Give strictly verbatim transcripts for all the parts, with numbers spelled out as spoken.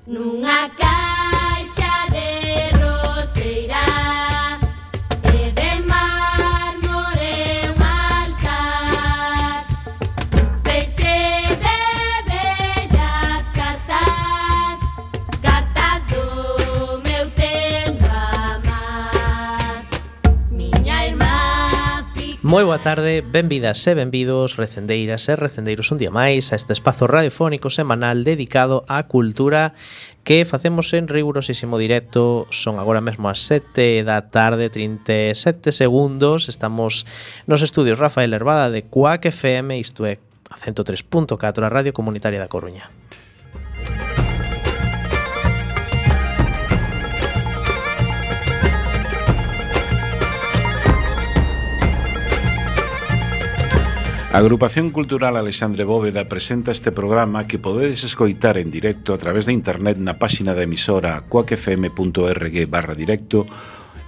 nunha caixa de roseira e de mármore un altar, un feixe de bellas cartas, cartas do meu tempo amar. Miña irmá fica... Moi boa tarde, benvidas e benvidos, recendeiras e recendeiros un día máis a este espazo radiofónico semanal dedicado á cultura que facemos en rigurosísimo directo. Son agora mesmo as sete da tarde, trinta e sete segundos. Estamos nos estudios Rafael Herbada de Cuac F M, isto é a ciento tres punto catro, a Radio Comunitaria da Coruña. A Agrupación Cultural Alexandre Bóveda presenta este programa que podedes escoitar en directo a través de internet na páxina da emisora cuacfm.org barra directo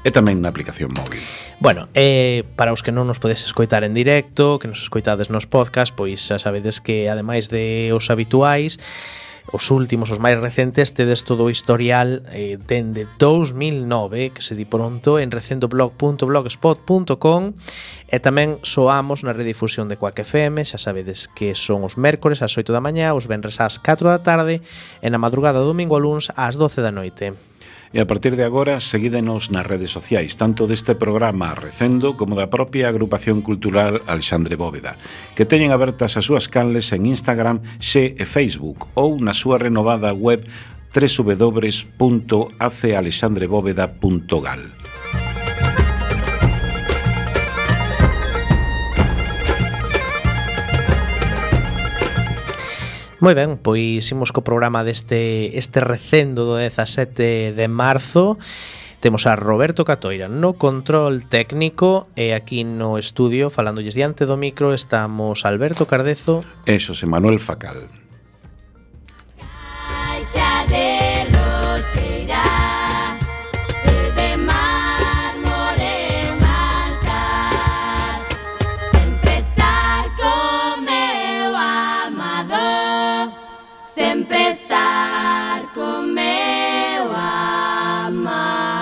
e tamén na aplicación móvil. Bueno, eh, para os que non nos podes escoitar en directo, que nos escoitades nos podcast, pois xa sabedes que ademais de os habituais, os últimos, os máis recentes, tedes todo o historial eh, dende dous mil nove, que se di pronto, en recendoblog punto blogspot punto com, e tamén soamos na redifusión de Cuac F M. Xa sabedes que son os mércores ás oito da mañá, os venres ás catro da tarde e na madrugada do domingo a luns ás doce da noite. E a partir de agora, seguídenos nas redes sociais, tanto deste programa Recendo como da propia Agrupación Cultural Alexandre Bóveda, que teñen abertas as súas canles en Instagram, Xe e Facebook, ou na súa renovada web doble u doble u doble u punto a c alexandre bóveda punto gal. Moi ben, pois imos co programa deste este recendo do dezasete de marzo. Temos a Roberto Catoira no control técnico e aquí no estudio, falándolles diante do micro, estamos Alberto Cardezo e Xosé Manuel Facal. Caixa de roseira e de mármore un altar, sempre estar co meu amado, sempre estar co meu amar.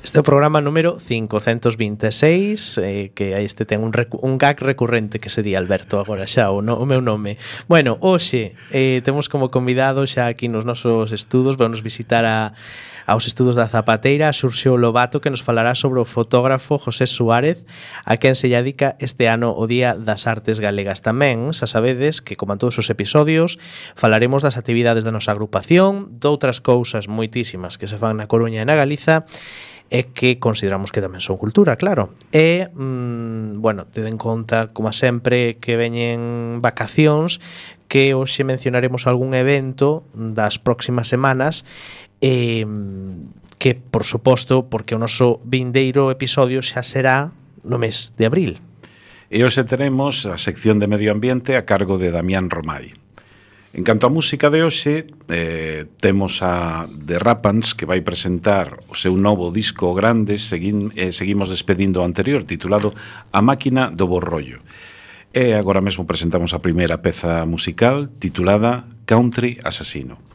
Este é o programa número cincocentos vinte e seis, eh, que este ten un, recu- un gag recurrente que sería Alberto agora xa, o, no, o meu nome. Bueno, hoxe eh, temos como convidado xa aquí nos nosos estudos, vamos visitar a, aos estudos da Zapateira, a Xurxo Lobato, que nos falará sobre o fotógrafo José Suárez, a quen se lle dedica este ano o Día das Artes Galegas. Tamén, xa sabedes que, como en todos os episodios, falaremos das actividades da nosa agrupación, doutras cousas moitísimas que se fan na Coruña e na Galiza, e que consideramos que tamén son cultura, claro. E, mmm, bueno, teden en conta, como sempre, que veñen vacacións, que hoxe mencionaremos algún evento das próximas semanas, e que, por suposto, porque o noso vindeiro episodio xa será no mes de abril. E hoxe teremos a sección de Medio Ambiente a cargo de Damián Romai. En canto a música de hoxe, eh, temos a The Rapans, que vai presentar o seu novo disco grande. Seguin, eh, seguimos despedindo o anterior, titulado A Máquina do Borrollo. E agora mesmo presentamos a primeira peza musical, titulada Country Assassino.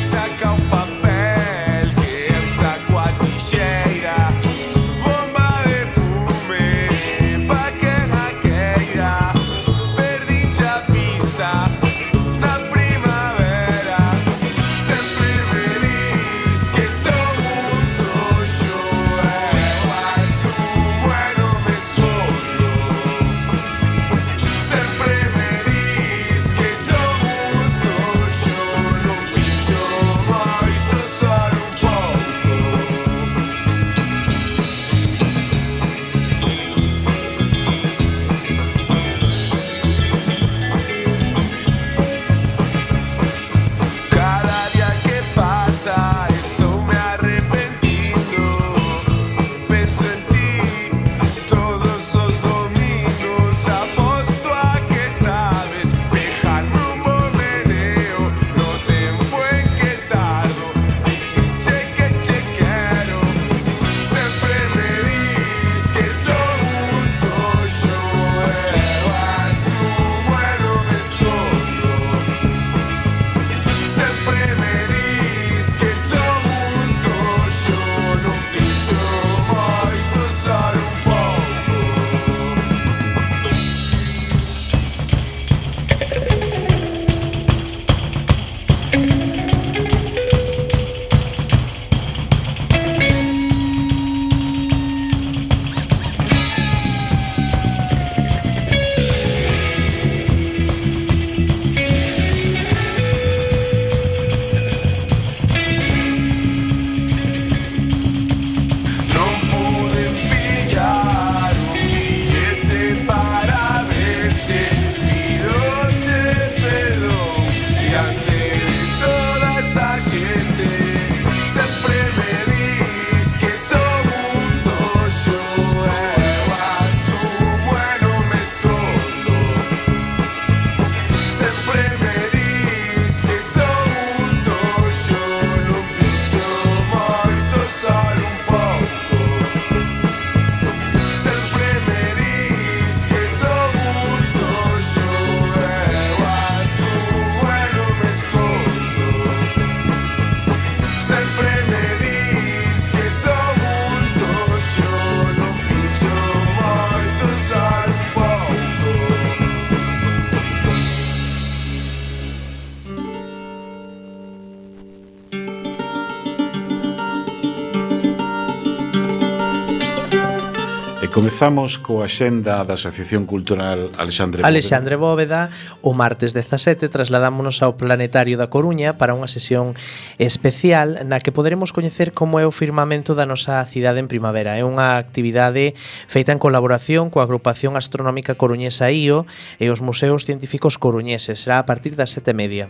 Saca un papel que eu saco a ti. comezamos coa axenda da Asociación Cultural Alexandre Bóveda. Alexandre Bóveda, o martes dezasete trasladámonos ao Planetario da Coruña para unha sesión especial na que poderemos coñecer como é o firmamento da nosa cidade en primavera. É unha actividade feita en colaboración coa agrupación astronómica coruñesa I O e os museos científicos coruñeses. Será a partir das sete e media.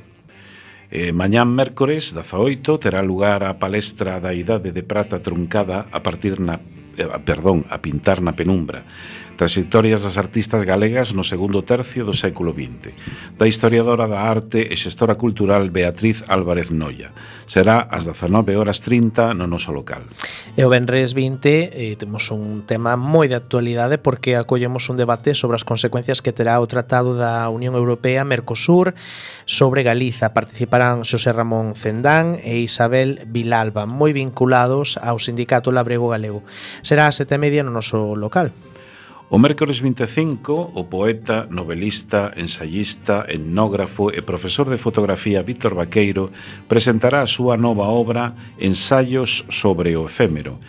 Eh, mañán mércores, dezaoito, terá lugar a palestra da Idade de Prata truncada a partir na eh, perdón, a pintar na penumbra. Trayectorias das artistas galegas no segundo tercio do século vinte, da historiadora da arte e xestora cultural Beatriz Álvarez Noia. Será ás dezanove horas trinta no noso local. E o venres vinte eh, temos un tema moi de actualidade porque acollemos un debate sobre as consecuencias que terá o Tratado da Unión Europea Mercosur sobre Galiza. Participarán Xosé Ramón Cendán e Isabel Vilalba, moi vinculados ao Sindicato Labrego Galego. Será ás sete e media no noso local. O mércores vinte e cinco, o poeta, novelista, ensayista, etnógrafo e profesor de fotografía Víctor Vaqueiro presentará a súa nova obra Ensaios sobre o efémero,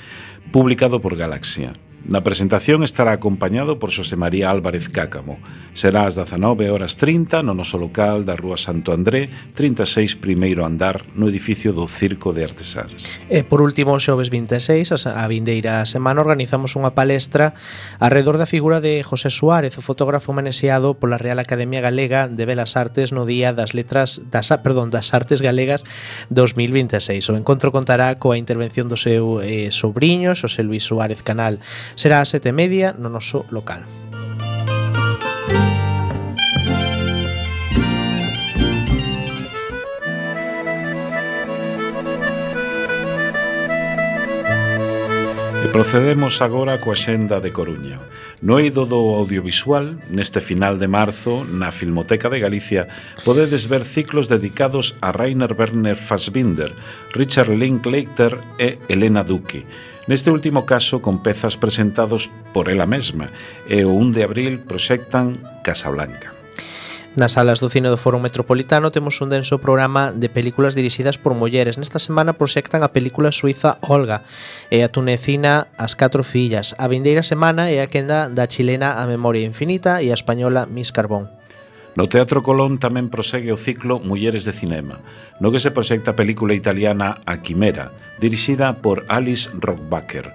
publicado por Galaxia. Na presentación estará acompañado por Xosé María Álvarez Cácamo. Será ás dezanove horas trinta no noso local da Rúa Santo André, trinta e seis primeiro andar, no edificio do Circo de Artesáns. E por último, o xoves vinte e seis, a vindeira semana, organizamos unha palestra alrededor da figura de José Suárez, o fotógrafo manexeado pola Real Academia Galega de Belas Artes no Día das Letras das, perdón, das Artes Galegas dos mil vinte e seis. O encontro contará coa intervención do seu eh, sobriño, Xosé Luís Suárez Canal. Será a sete e media no noso local. E procedemos agora coa xenda de Coruña. No eido do audiovisual, neste final de marzo, na Filmoteca de Galicia, podedes ver ciclos dedicados a Rainer Werner Fassbinder, Richard Linklater e Elena Duque. Neste último caso, con pezas presentados por ela mesma, e o un de abril proxectan Casablanca. Nas salas do cine do Foro Metropolitano temos un denso programa de películas dirixidas por mulleres. Nesta semana proxectan a película suiza Olga e a tunecina As Catro Fillas. A vindeira semana é a quenda da chilena A Memoria Infinita e a española Miss Carbón. No Teatro Colón tamén prosegue o ciclo Mulleres de Cinema, no que se proxecta a película italiana A Quimera, dirixida por Alice Rohrbacher.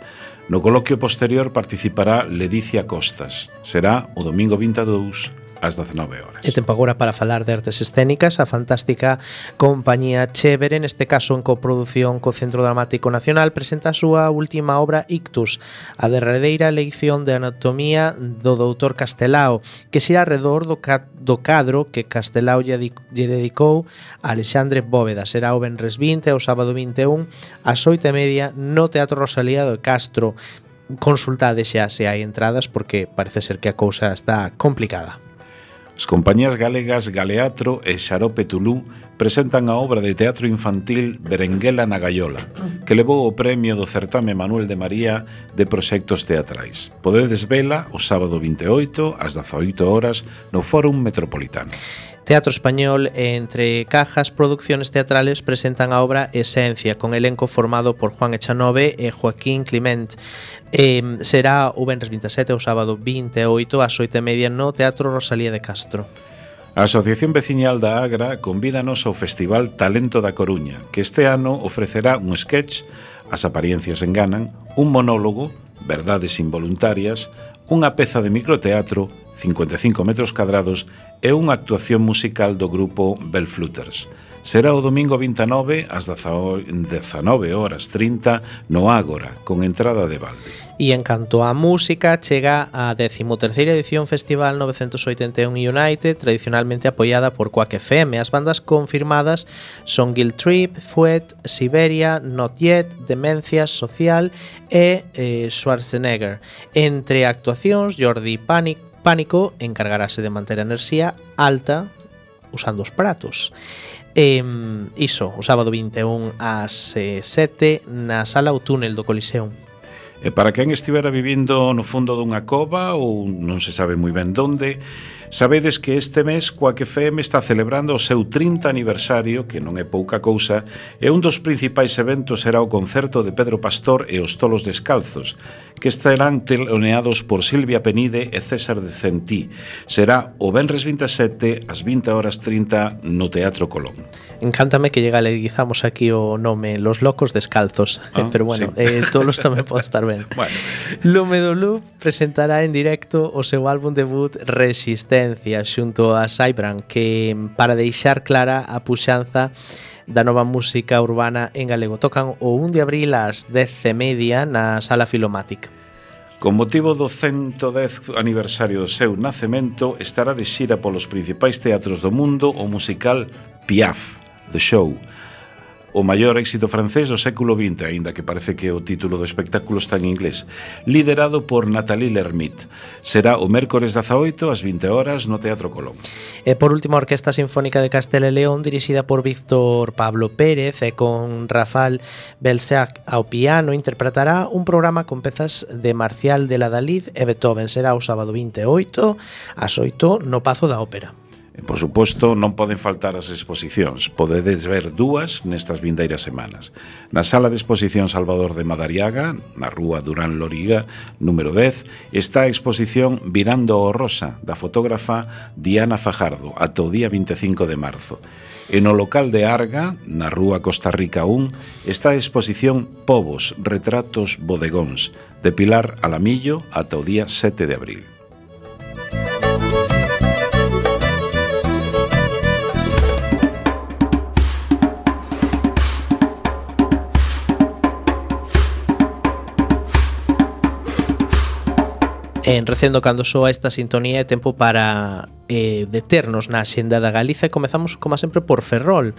No coloquio posterior participará Ledicia Costas. Será o domingo vinte e dous ás dezenove horas. E tempo agora para falar de artes escénicas, a fantástica compañía Chévere, neste caso en coproducción co Centro Dramático Nacional, presenta a súa última obra Ictus, a derradeira lección de anatomía do doutor Castelao, que xira alrededor do, ca do cadro que Castelao lle, lle dedicou a Alexandre Bóveda. Será o venres vinte e o sábado vinte e un ás oito e media no Teatro Rosalía do Castro. Consultade xa se hai entradas porque parece ser que a cousa está complicada. As compañías galegas Galeatro e Xarope Tulú presentan a obra de teatro infantil Berenguela na Gaiola, que levou o premio do certame Manuel de María de proxectos teatrais. Podedes vela o sábado vinte e oito ás dezaoito horas no Fórum Metropolitano. Teatro Español e Entre Cajas Producciones Teatrales presentan a obra Esencia, con elenco formado por Juan Echanove e Joaquín Clement. Eh, será o venres vinte e sete o sábado vinte e oito ás oito e media no Teatro Rosalía de Castro. A Asociación Veciñal da Agra convídanos ao Festival Talento da Coruña, que este ano ofrecerá un sketch, As apariencias enganan, un monólogo, Verdades involuntarias, unha peza de microteatro, cincuenta e cinco metros cadrados, e unha actuación musical do grupo Bellflooters. Será o domingo vinte e nove ás dezanove horas trinta no Ágora, con entrada de balde. E en canto á música, chega a decimoterceira edición Festival novecentos oitenta e un United, tradicionalmente apoiada por Quack F M. As bandas confirmadas son Guilt Trip, Fuet, Siberia, Not Yet, Demencia Social e eh, Schwarzenegger. Entre actuacións, Jordi Panic, Pánico encargarase de manter a enerxía alta usando os pratos. E, iso, o sábado vinte e un ás sete na Sala O Túnel do Coliseum. E para quen estivera vivindo no fondo dunha cova ou non se sabe moi ben donde, sabedes que este mes Quack F M está celebrando o seu trinta aniversario, que non é pouca cousa, e un dos principais eventos será o concerto de Pedro Pastor e os Tolos Descalzos, que estarán teloneados por Silvia Penide e César de Centí. Será o venres vinte e sete ás vinte horas trinta no Teatro Colón. Encántame que legalizamos aquí o nome Los Locos Descalzos, ah, pero bueno, sí. eh, todos tamén poden estar ben. Bueno. Lume do Loop presentará en directo o seu álbum debut Resistencia xunto a Saibran, que para deixar clara a puxanza da nova música urbana en galego. Tocan o un de abril ás dez e media na Sala Filomatic. Con motivo do ciento dez aniversario do seu nacemento, estará de xira polos principais teatros do mundo o musical Piaf, The Show, o maior éxito francés do século vinte, aínda que parece que o título do espectáculo está en inglés, liderado por Nathalie Lermit. Será o mércores dezaoito ás vinte horas no Teatro Colón. E por último, a Orquesta Sinfónica de Castela e León, dirixida por Víctor Pablo Pérez e con Rafael Belsac ao piano, interpretará un programa con pezas de Marcial de la Dalid e Beethoven. Será o sábado vinte e oito ás oito no Pazo da Ópera. E, por suposto, non poden faltar as exposicións. Podedes ver dúas nestas vindeiras semanas. Na Sala de Exposición Salvador de Madariaga, na rúa Durán Loriga, número dez, está a exposición Virando o Rosa, da fotógrafa Diana Fajardo, ata o día vinte e cinco de marzo. E no local de Arga, na rúa Costa Rica un, está a exposición Povos, Retratos Bodegóns, de Pilar Alamillo, ata o día sete de abril. En recendo cando soa esta sintonía é tempo para eh, deternos na Xenda da Galiza e comezamos, como sempre, por Ferrol.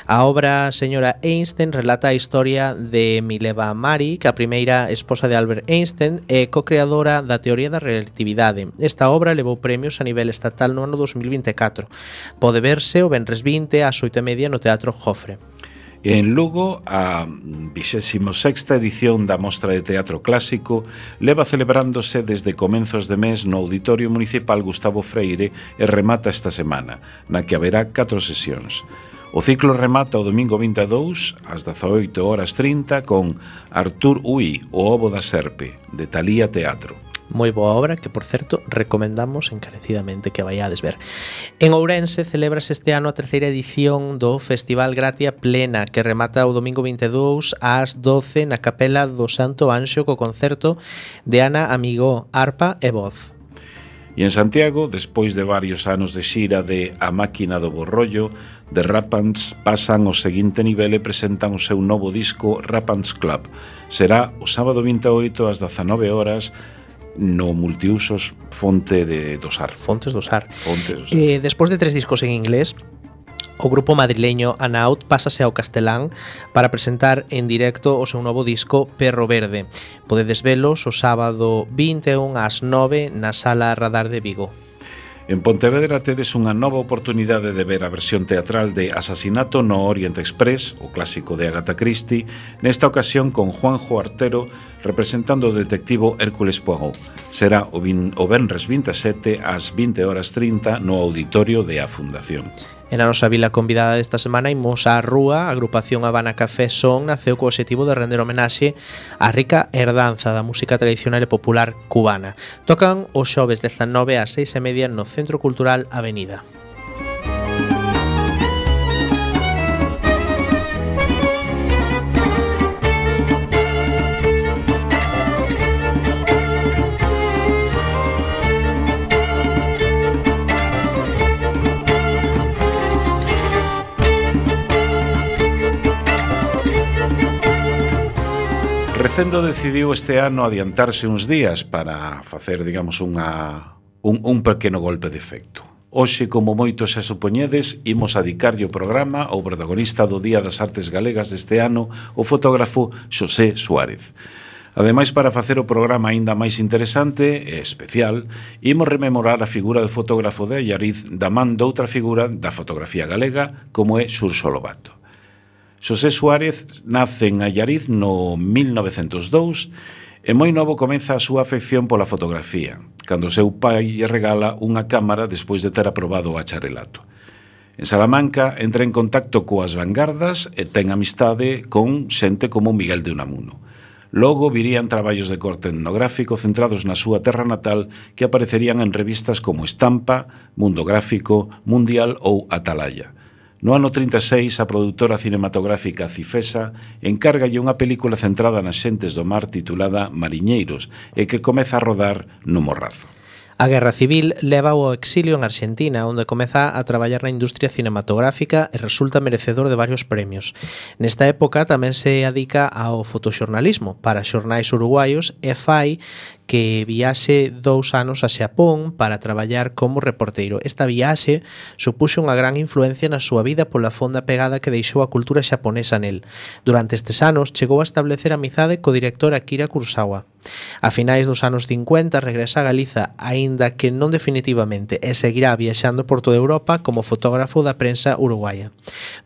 A obra Señora Einstein relata a historia de Mileva Maric, a primeira esposa de Albert Einstein e co-creadora da teoría da relatividade. Esta obra levou premios a nivel estatal no ano dos mil vinte e catro. Pode verse o venres vinte ás oito e media no Teatro Jofre. En Lugo, a vixésima sexta edición da Mostra de Teatro Clásico leva celebrándose desde comenzos de mes no Auditorio Municipal Gustavo Freire e remata esta semana, na que haberá catro sesións. O ciclo remata o domingo vinte e dous ás dezaoito horas trinta con Artur Ui, o ovo da serpe, de Talía Teatro. Moi boa obra que, por certo, recomendamos encarecidamente que vaiades ver. En Ourense celébrase este ano a terceira edición do Festival Gratia Plena, que remata o domingo vinte e dous ás doce na Capela do Santo Anxo co concerto de Ana Amigó, arpa e voz. E en Santiago, despois de varios anos de xira de A Máquina do Borrollo, The Rapans pasan ao seguinte nivel e presentan o seu novo disco Rapans Club. Será o sábado vinte e oito ás dezanove horas no multiusos Fonte de Dosar. Fontes Dosar. Fontes Dosar. Eh, despois de tres discos en inglés, o grupo madrileño Anaut pásase ao castelán para presentar en directo o seu novo disco Perro Verde. Podedes velos o sábado vinte e un ás nove na Sala Radar de Vigo. En Pontevedra tedes unha nova oportunidade de ver a versión teatral de Asasinato no Orient Express, o clásico de Agatha Christie, nesta ocasión con Juanjo Artero representando o detectivo Hércules Poirot. Será o, vin, o venres vinte e sete ás vinte horas trinta no auditorio de A Fundación. En a nosa vila convidada desta semana imos á Rúa. A agrupación Habana Café Son naceu co obxectivo de render homenaxe á rica herdanza da música tradicional e popular cubana. Tocan os xoves dezanove ás seis e media no Centro Cultural Avenida. Recendo decidiu este ano adiantarse uns días para facer, digamos, unha, un, un pequeno golpe de efecto. Hoxe, como moitos xa supoñedes, imos a dedicarlle o programa ao protagonista do Día das Artes Galegas deste ano, o fotógrafo Xosé Suárez. Ademais, para facer o programa aínda máis interesante e especial, imos rememorar a figura do fotógrafo de Allariz da man doutra figura da fotografía galega, como é Xurxo Lobato. Xosé Suárez nace en Allariz no mil novecentos dous E moi novo comeza a súa afección pola fotografía, cando o seu pai lle regala unha cámara despois de ter aprobado o bacharelato. En Salamanca entra en contacto coas vanguardas e ten amistade con xente como Miguel de Unamuno. Logo virían traballos de corte etnográfico centrados na súa terra natal que aparecerían en revistas como Estampa, Mundo Gráfico, Mundial ou Atalaya. No ano trinta e seis, a produtora cinematográfica Cifesa encárgalle unha película centrada nas xentes do mar titulada Mariñeiros e que comeza a rodar no Morrazo. A Guerra Civil leva ao exilio en Argentina, onde comeza a traballar na industria cinematográfica e resulta merecedor de varios premios. Nesta época tamén se adica ao fotoxornalismo para xornais uruguaios e fai que viaxe dous anos a Xapón para traballar como reporteiro. Esta viaxe supuxo unha gran influencia na súa vida pola fonda pegada que deixou a cultura xaponesa nel. Durante estes anos chegou a establecer amizade co director Akira Kurosawa. A finais dos anos cincuenta regresa a Galiza, aínda que non definitivamente, e seguirá viaxando por toda Europa como fotógrafo da prensa uruguaya.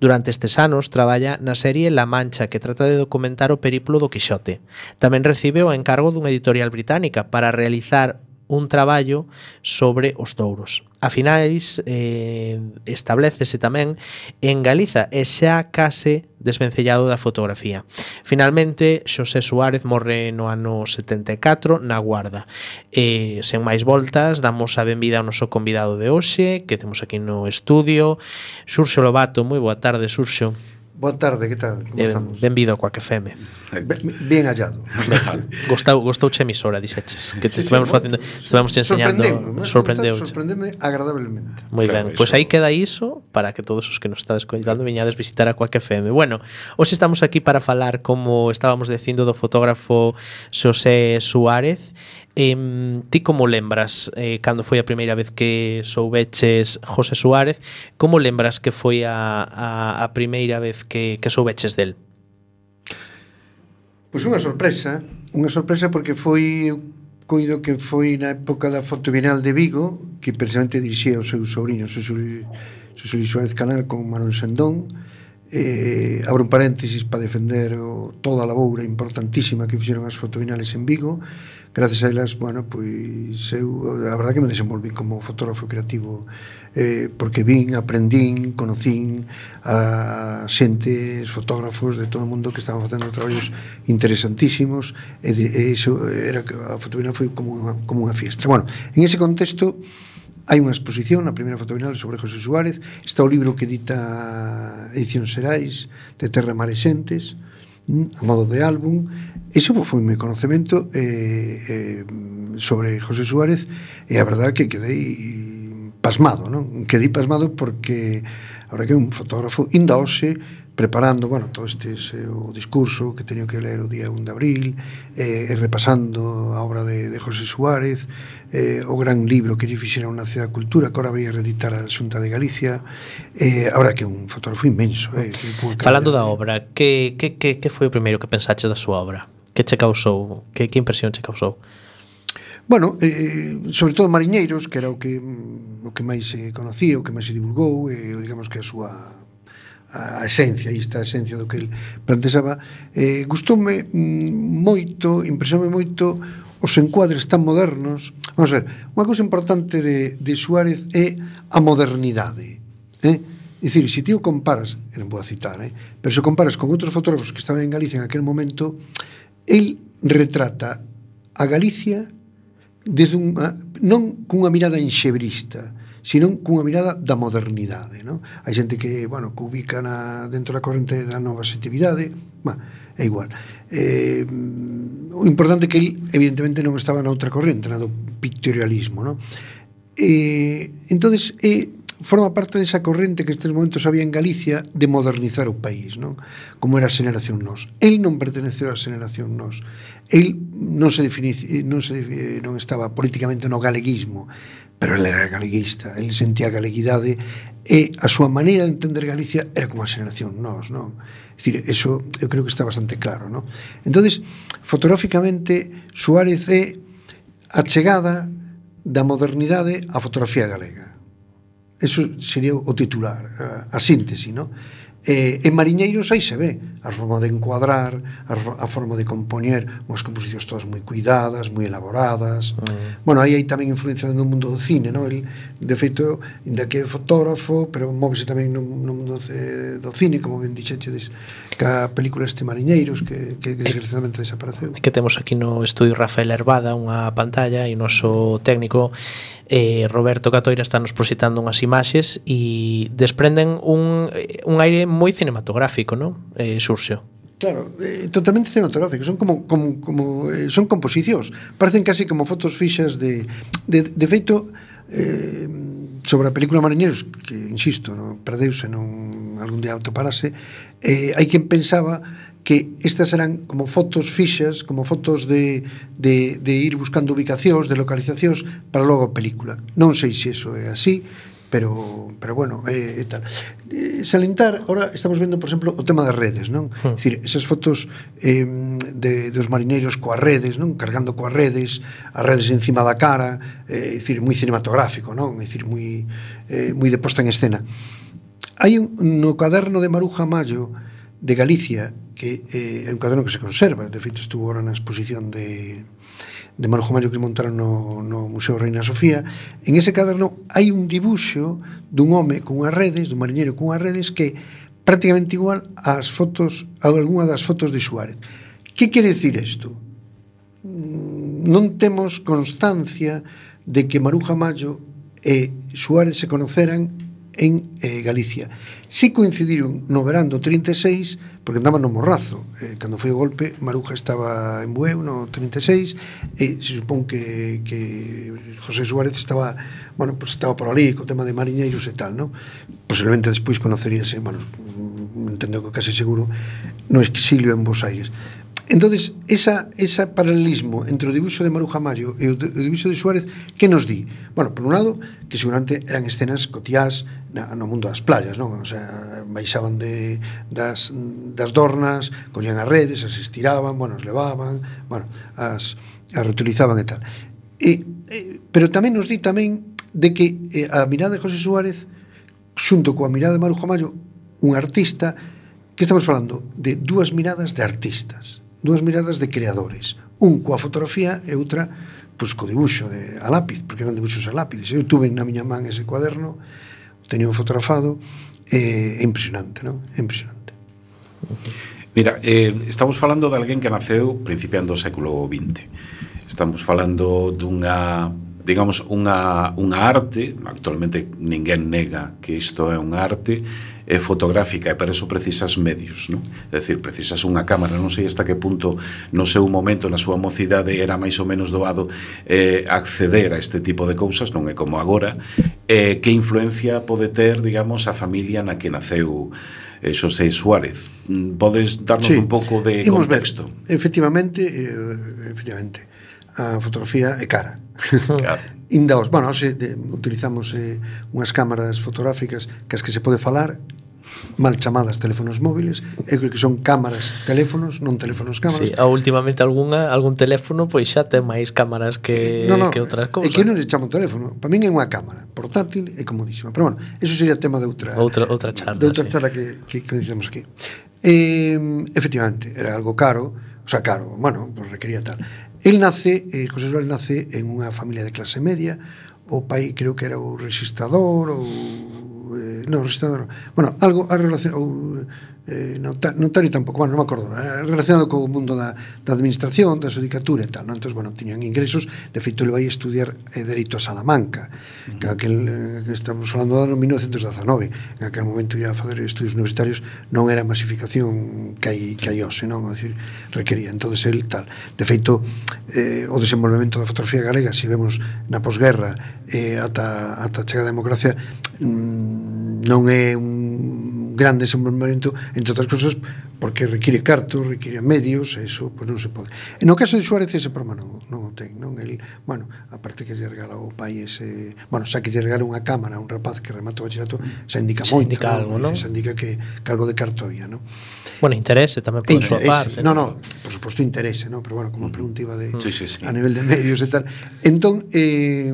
Durante estes anos traballa na serie La Mancha, que trata de documentar o periplo do Quixote. Tamén recibe o encargo dunha editorial británica para realizar un traballo sobre os touros. A finais eh, establecese tamén en Galiza e xa case desvencellado da fotografía. Finalmente, Xosé Suárez morre no ano setenta e catro na Guarda. E, sen máis voltas, damos a benvida ao noso convidado de hoxe, que temos aquí no estudio, Xurxo Lobato. Moi boa tarde, Xurxo. Boa tarde, que tal? Como Eh, estamos? Benvido a Quack F M. Ben, bien hallado. Gostou, gostouche a emisora, dixeches. Que te estivemos facendo, estivemos te enseñando, sorprendeu. Sorprendeme agradablemente. Moi Claro, ben, pois iso. aí queda iso para que todos os que nos estades coitando viñades visitar a Quack F M. Bueno, hoxe estamos aquí para falar, como estábamos dicindo, do fotógrafo Xosé Suárez. Eh, ti como lembras eh, cando foi a primeira vez que soubeches José Suárez? Como lembras que foi a, a, a primeira vez que, que soubeches del? Pois unha sorpresa, unha sorpresa porque foi, coido que foi na época da Foto Bienal de Vigo, que precisamente dirixía o seu sobrino, Xosé Luis Suárez Canal, con Manuel Sendón. Eh, abro un paréntesis para defender o, toda a laboura importantísima que fixeron as fotobienales en Vigo. Gracias a elas, bueno, pois eu, a verdade que me desenvolví como fotógrafo creativo, eh, porque vin, aprendín, conocín a xentes, fotógrafos de todo o mundo que estaban facendo traballos interesantísimos, e, de, e iso era que a fotobienal foi como unha, como unha fiestra. Bueno, en ese contexto hai unha exposición na primeira fotobienal sobre José Suárez. Está o libro que edita Edición Xerais, de Terra, Mar e Xentes, a modo de álbum. Ese foi o meu conocemento eh, eh, sobre José Suárez, e a verdade que quedei pasmado, non? Quedei pasmado porque ahora que é un fotógrafo inda hoxe preparando, bueno, todo este ese, o discurso que teño que ler o día un de abril, eh, repasando a obra de, de José Suárez, eh, o gran libro que lle fixeron na Cidade da Cultura, que ahora vai a reeditar a Xunta de Galicia. Eh, a verdade que é un fotógrafo inmenso. Eh, Falando da obra, que, que, que, que foi o primeiro que pensaches da súa obra? Que che causou? Que, que impresión che causou? Bueno, eh, sobre todo Mariñeiros, que era o que o que máis se conocía, o que máis se divulgou, e eh, digamos que a súa a esencia, esta esencia do que el plantexaba, eh, gustoume moito, impresionoume moito os encuadres tan modernos. Vamos a ver, unha cousa importante de, de Suárez é a modernidade, eh? É dicir, se ti o comparas, non vou a citar, eh? pero se o comparas con outros fotógrafos que estaban en Galicia en aquel momento, el retrata a Galicia desde unha, non cunha mirada enxebrista, sino cunha mirada da modernidade, non? Hai xente que, bueno, que ubica na, dentro da corrente da nova xetividade, bah, é igual. Eh, o importante é que ele, evidentemente, non estaba na outra corrente, na do pictorialismo, non? Eh, entonces, eh, forma parte desa corrente que estes momentos había en Galicia de modernizar o país, non? Como era a xeneración Nós. El non perteneceu á xeneración Nós. El non se defini, non se non estaba políticamente no galeguismo, pero ele era galeguista, ele sentía a galeguidade, e a súa maneira de entender Galicia era como a xeneración Nós, non? É dicir, eso eu creo que está bastante claro, non? Entonces, fotográficamente, Suárez é a chegada da modernidade á fotografía galega. Eso sería o titular, a, a síntese, non? Eh, en Mariñeiros aí se ve a forma de encuadrar, a, a forma de compoñer, unhas composicións todas moi cuidadas, moi elaboradas. Mm. Bueno, aí hai tamén influencia no mundo do cine, non? El, de feito, inda que é fotógrafo, pero móvese tamén no, no mundo de, do cine, como ben dixechedes, ca película este Mariñeiros, que, que desgraciadamente desapareceu. Que temos aquí no estudio Rafael Herbada unha pantalla e o noso técnico eh, Roberto Catoira está nos proxectando unhas imaxes e desprenden un, un aire moi cinematográfico, non? Eh, Xurxo. Claro, eh, totalmente cinematográfico, son como, como, como eh, son composicións, parecen casi como fotos fixas de de, de feito eh, sobre a película Mariñeiros, que insisto, non perdeuse, non algún día autoparase, eh, hai quen pensaba que estas eran como fotos fixas, como fotos de, de, de ir buscando ubicacións, de localizacións para logo a película. Non sei se iso é así, pero pero bueno, é, é tal. Eh, salientar, ahora estamos vendo, por exemplo, o tema das redes, non? É dicir, esas fotos eh, de, dos mariñeiros coas redes, non? Cargando coas redes, as redes encima da cara, é eh, dicir, moi cinematográfico, non? É dicir, moi eh, moi de posta en escena. Hai un, no caderno de Maruja Mallo de Galicia, que eh, é un caderno que se conserva, de feito estuvo ahora na exposición de de Maruja Mallo que montaron no, no Museo Reina Sofía. En ese caderno hai un dibuixo dun home con unhas redes, dun mariñeiro con unhas redes que prácticamente igual ás fotos, a algunha das fotos de Suárez. Que quere decir isto? Non temos constancia de que Maruja Mallo e Suárez se conoceran en eh, Galicia. Si coincidiron no verán do trinta e seis, porque andaban no Morrazo. Eh, cando foi o golpe, Maruja estaba en Bueu no trinta e seis, e se supón que, que José Suárez estaba, bueno, pues estaba por ali, co tema de mariñeiros e tal, ¿no? Posiblemente despois conoceríase, bueno, entendo que case seguro, no exilio en Bos Aires. Entonces, esa, esa paralelismo entre o dibuixo de Maruja Mallo e o, de, o dibuixo de Suárez, que nos di? Bueno, por un lado, que seguramente eran escenas cotiás na, no mundo das playas, non? O sea, baixaban de, das, das dornas, collían as redes, as estiraban, bueno, as levaban, bueno, as, as reutilizaban e tal. E, e, pero tamén nos di tamén de que eh, a mirada de José Suárez, xunto coa mirada de Maruja Mallo, un artista, que estamos falando de dúas miradas de artistas, dúas miradas de creadores, un coa fotografía e outra pois co dibuixo de, a lápiz, porque eran dibuixos a lápiz. Eu tuve na miña man ese cuaderno, teño fotografado, é eh, impresionante, non? É impresionante. Mira, eh, estamos falando de alguén que naceu principiando o século vinte. Estamos falando dunha, digamos, unha, unha arte, actualmente ninguén nega que isto é unha arte, é fotográfica, e para eso precisas medios, non? É dicir, precisas unha cámara. Non sei hasta que punto no seu momento, na súa mocidade, era máis ou menos doado eh, acceder a este tipo de cousas, non é como agora. Eh, que influencia pode ter, digamos, a familia na que naceu eh, Xosé Suárez? Podes darnos sí, un pouco de contexto? Ver, efectivamente, eh, efectivamente, a fotografía é cara. Claro. Indaos, bueno, hoxe de, utilizamos eh, unhas cámaras fotográficas que as que se pode falar, mal chamadas teléfonos móviles, eu creo que son cámaras, teléfonos, non teléfonos, cámaras. Sí, a últimamente algunha, algún teléfono pois xa ten máis cámaras que, no, no, que outras cousas. É que non le chamo teléfono, para min é unha cámara portátil e comodísima, pero bueno, eso sería tema de outra outra, outra charla, de outra sí. charla que, que, que dicemos aquí. Eh, efectivamente, era algo caro, o sea, caro, bueno, pues requería tal. El nace, eh, José Suárez nace en unha familia de clase media, o pai creo que era o registrador ou eh, non, registrador, bueno, algo a relación ou eh, notario tampouco, bueno, non me acordo, era relacionado co mundo da, da administración, da xudicatura e tal, non? Entón, bueno, tiñan ingresos, de feito, ele vai estudiar eh, Dereito a Salamanca, uh-huh. que aquel, eh, que estamos falando do ano mil novecentos dezanove, en aquel momento ir a fazer estudios universitarios non era a masificación que hai, que hai hoxe, non? É dicir, requería, entonces el tal. De feito, eh, o desenvolvemento da fotografía galega, se vemos na posguerra eh, ata, ata chega a democracia, mmm, non é un gran desenvolvemento, entre outras cosas, porque require cartos, require medios, e iso pois non se pode. E no caso de Suárez ese problema non, non o ten, non? El, bueno, aparte que lle regala ao pai ese, bueno, xa que lle regala unha cámara a un rapaz que remata o bachillerato, xa indica xa moito, indica algo, non? Xa indica que, que algo de carto había, non? Bueno, interese tamén por súa parte. No, no, por suposto interese, non? Pero bueno, como a pregunta iba de sí, sí, sí. a nivel de medios e tal. Entón, eh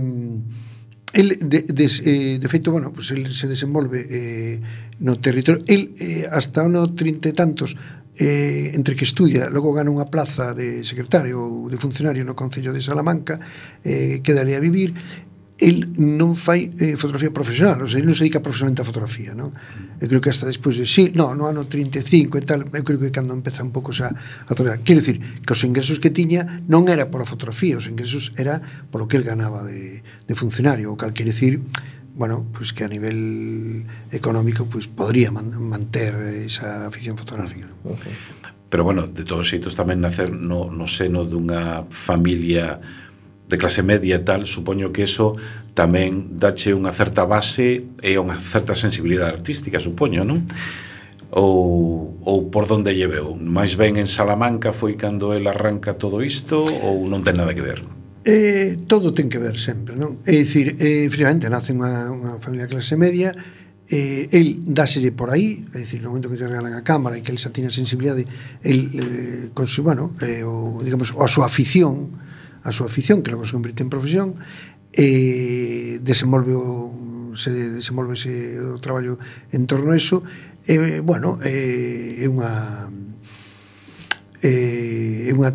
el de, de, eh, de feito, bueno, pues el se desenvolve eh, no territorio. El, eh, hasta no trinta e tantos, eh, entre que estudia, logo gana unha plaza de secretario ou de funcionario no Concello de Salamanca, eh, queda ali a vivir. El non fai eh, fotografía profesional, o sea, ele non se dedica profesionalmente a fotografía, non? Eu creo que hasta despois de, sí, no, no ano trinta e cinco e tal, eu creo que cando empeza un pouco xa a traballar. Quero dicir, que os ingresos que tiña non era pola fotografía, os ingresos era polo que el ganaba de, de funcionario, o cal quere dicir, bueno, pues que a nivel económico pues podría man, manter esa afición fotográfica, non? Okay. Pero bueno, de todos xeitos tamén nacer no, no seno dunha familia de clase media e tal, supoño que eso tamén dache unha certa base e unha certa sensibilidade artística, supoño, non? Ou, ou por donde lle veu? Mais ben en Salamanca foi cando el arranca todo isto ou non ten nada que ver? Eh, todo ten que ver sempre, non? É dicir, eh, efectivamente, nace unha, unha familia de clase media, eh, el dáselle por aí, é dicir, no momento que lle regalan a cámara e que el xa tiña sensibilidade, el, eh, con su, bueno, eh, o, digamos, a súa afición, a súa afición, que logo se convirte en profesión, e desenvolve o, se desenvolve ese o traballo en torno a eso, e, bueno, é, é unha é unha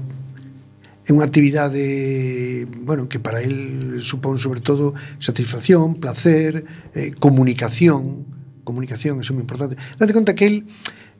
é unha actividade, bueno, que para el supón sobre todo satisfacción, placer, eh, comunicación, comunicación, eso é moi importante. Date conta que el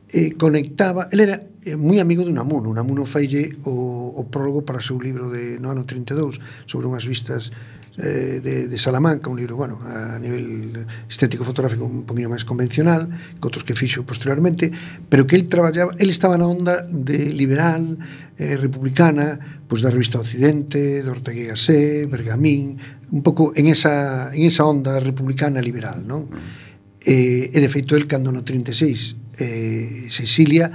eh, conectaba, el era eh, moi amigo de Unamuno. Unamuno faille o, o prólogo para o seu libro de no ano trinta e dous sobre unhas vistas eh, de, de Salamanca, un libro, bueno, a nivel estético fotográfico un poquinho máis convencional que outros que fixo posteriormente, pero que el traballaba, el estaba na onda de liberal, eh, republicana, pois da revista Occidente, de Ortega y Gasset, Bergamín, un pouco en esa, en esa onda republicana liberal, non? E, e de feito el cando no trinta e seis eh, se exilia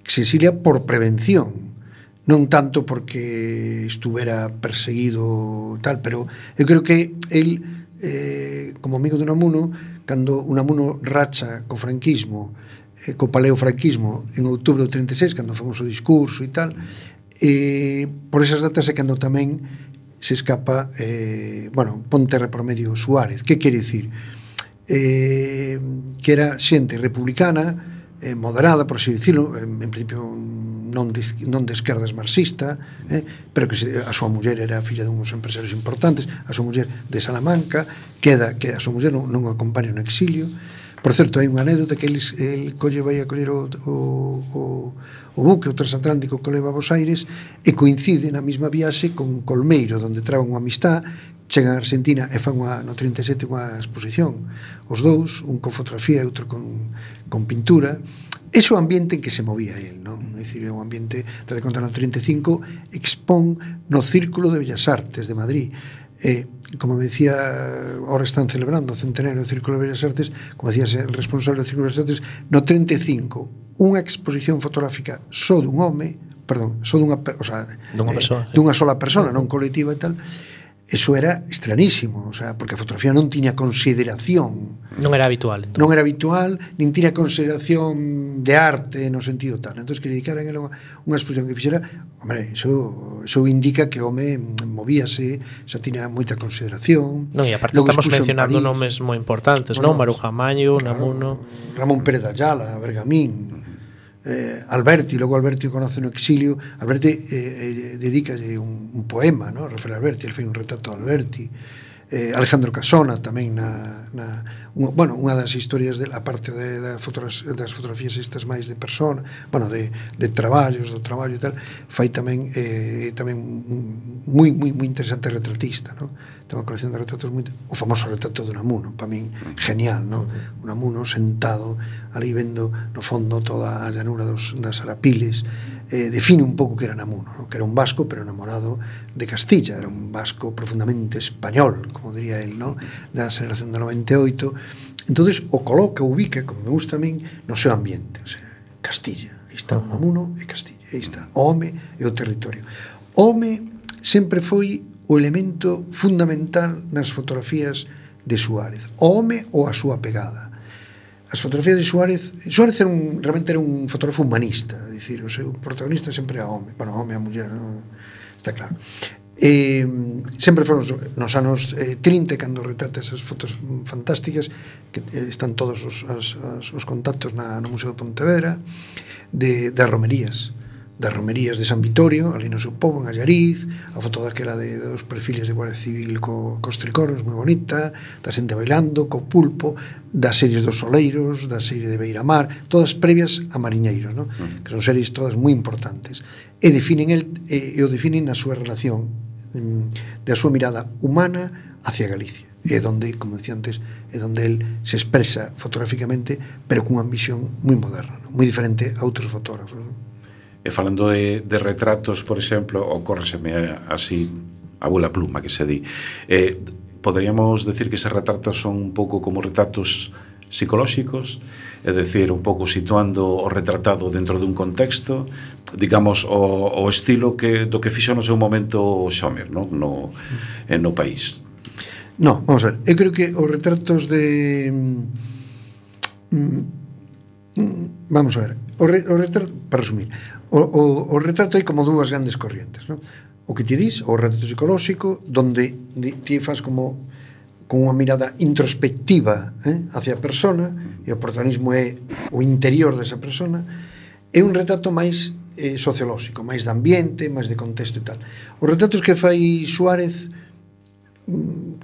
se exilia por prevención, non tanto porque estuvera perseguido tal, pero eu creo que el eh, como amigo de Unamuno, cando Unamuno racha co franquismo, eh, co paleofranquismo en outubro do trinta e seis, cando fomos o discurso e tal, eh, por esas datas é cando tamén se escapa eh, bueno, pon terra por medio Suárez. Que quere dicir? Eh, que era xente republicana, eh, moderada, por así dicirlo, en, en principio non de, non de esquerdas marxista, eh, pero que se, a súa muller era filla de uns empresarios importantes, a súa muller de Salamanca, queda que a súa muller non, non o acompaña no exilio. Por certo, hai unha anécdota que el, el colle vai a coller o, o, o, o buque, o transatlántico que leva a Bos Aires, e coincide na mesma viaxe con Colmeiro, onde traban unha amistad, chegan a Argentina e fan unha, no trinta e sete unha exposición, os dous, un con fotografía e outro con, con pintura. Ese é o ambiente en que se movía el, non? É dicir, é un ambiente, te de conta, no trinta e cinco expón no Círculo de Bellas Artes de Madrid. Eh, como me decía, ahora están celebrando o centenario do Círculo de Bellas Artes, como decía el responsable do Círculo de Bellas Artes, no trinta e cinco unha exposición fotográfica só dun home, perdón, só dunha, o sea, dunha, eh, persoa, dunha sola persona, non colectiva e tal. Eso era estranísimo, o sea, porque a fotografía non tiña consideración. Non era habitual. Entón. Non era habitual, nin tiña consideración de arte no sentido tal. Entón, que le dedicaran unha, unha exposición que fixera, hombre, eso, eso indica que o home movíase, xa tiña moita consideración. Non, e aparte logo estamos mencionando nomes moi importantes, bueno, non? Maruja Maño, Unamuno, Ramón Pérez de Ayala, Bergamín, eh, Alberti, logo Alberti o conoce no exilio. Alberti eh, eh, dedicalle un, un poema, ¿no? Rafael Alberti, el fai un retrato de Alberti. eh, Alejandro Casona tamén na, na un, bueno, unha das historias de, a parte de, de fotogra- das fotografías estas máis de persona, bueno, de, de traballos, do traballo e tal, fai tamén eh, tamén moi moi moi interesante retratista, ¿no? Ten unha colección de retratos moi, o famoso retrato de Unamuno, para min genial, ¿no? Unamuno sentado ali vendo no fondo toda a llanura dos, das Arapiles. Eh, define un pouco que era Unamuno, ¿no? Que era un vasco pero enamorado de Castilla, era un vasco profundamente español, como diría él, ¿no? Da generación de noventa e oito. Entonces o coloca, o ubica, como me gusta a min, no seu ambiente, o sea, Castilla, aí está Unamuno e Castilla, aí está o home e o territorio. O home sempre foi o elemento fundamental nas fotografías de Suárez, o home ou a súa pegada. As fotografías de Suárez, Suárez era un, realmente era un fotógrafo humanista, é dicir, o seu protagonista sempre era home, bueno, home e a muller, non? Está claro. Eh, sempre foron nos anos eh, trinta, cando retrata esas fotos fantásticas que eh, están todos os, as, as, os contactos na, no Museo de Pontevedra, de, das romerías das romerías de San Vitorio, ali no seu pobo, en Allariz, a foto daquela de, de dos perfiles de Guardia Civil co, cos tricoros, moi bonita, da xente bailando, co pulpo, das series dos Soleiros, da serie de Beiramar, todas previas a Mariñeiros, ¿no? Que son series todas moi importantes. E definen el, e, e o definen na súa relación mm, da súa mirada humana hacia Galicia. E donde, como decía antes, é donde el se expresa fotográficamente, pero cunha visión moi moderna, ¿no? Moi diferente a outros fotógrafos, ¿no? E falando de, de retratos, por exemplo, ocórreseme así a bola pluma que se di, eh, poderíamos decir que eses retratos son un pouco como retratos psicolóxicos, é dicir, un pouco situando o retratado dentro dun contexto, digamos, o, o estilo que, do que fixo no seu momento Xomer, no, no, no país. No, vamos a ver, eu creo que os retratos de... Mm, vamos a ver, o, re, o retrato, para resumir, o, o, o retrato hai como dúas grandes corrientes, ¿no? O que ti dis, o retrato psicolóxico, donde ti faz como con unha mirada introspectiva, eh, hacia a persona, e o protagonismo é o interior desa persona, é un retrato máis eh, sociolóxico, máis de ambiente, máis de contexto e tal. Os retratos que fai Suárez,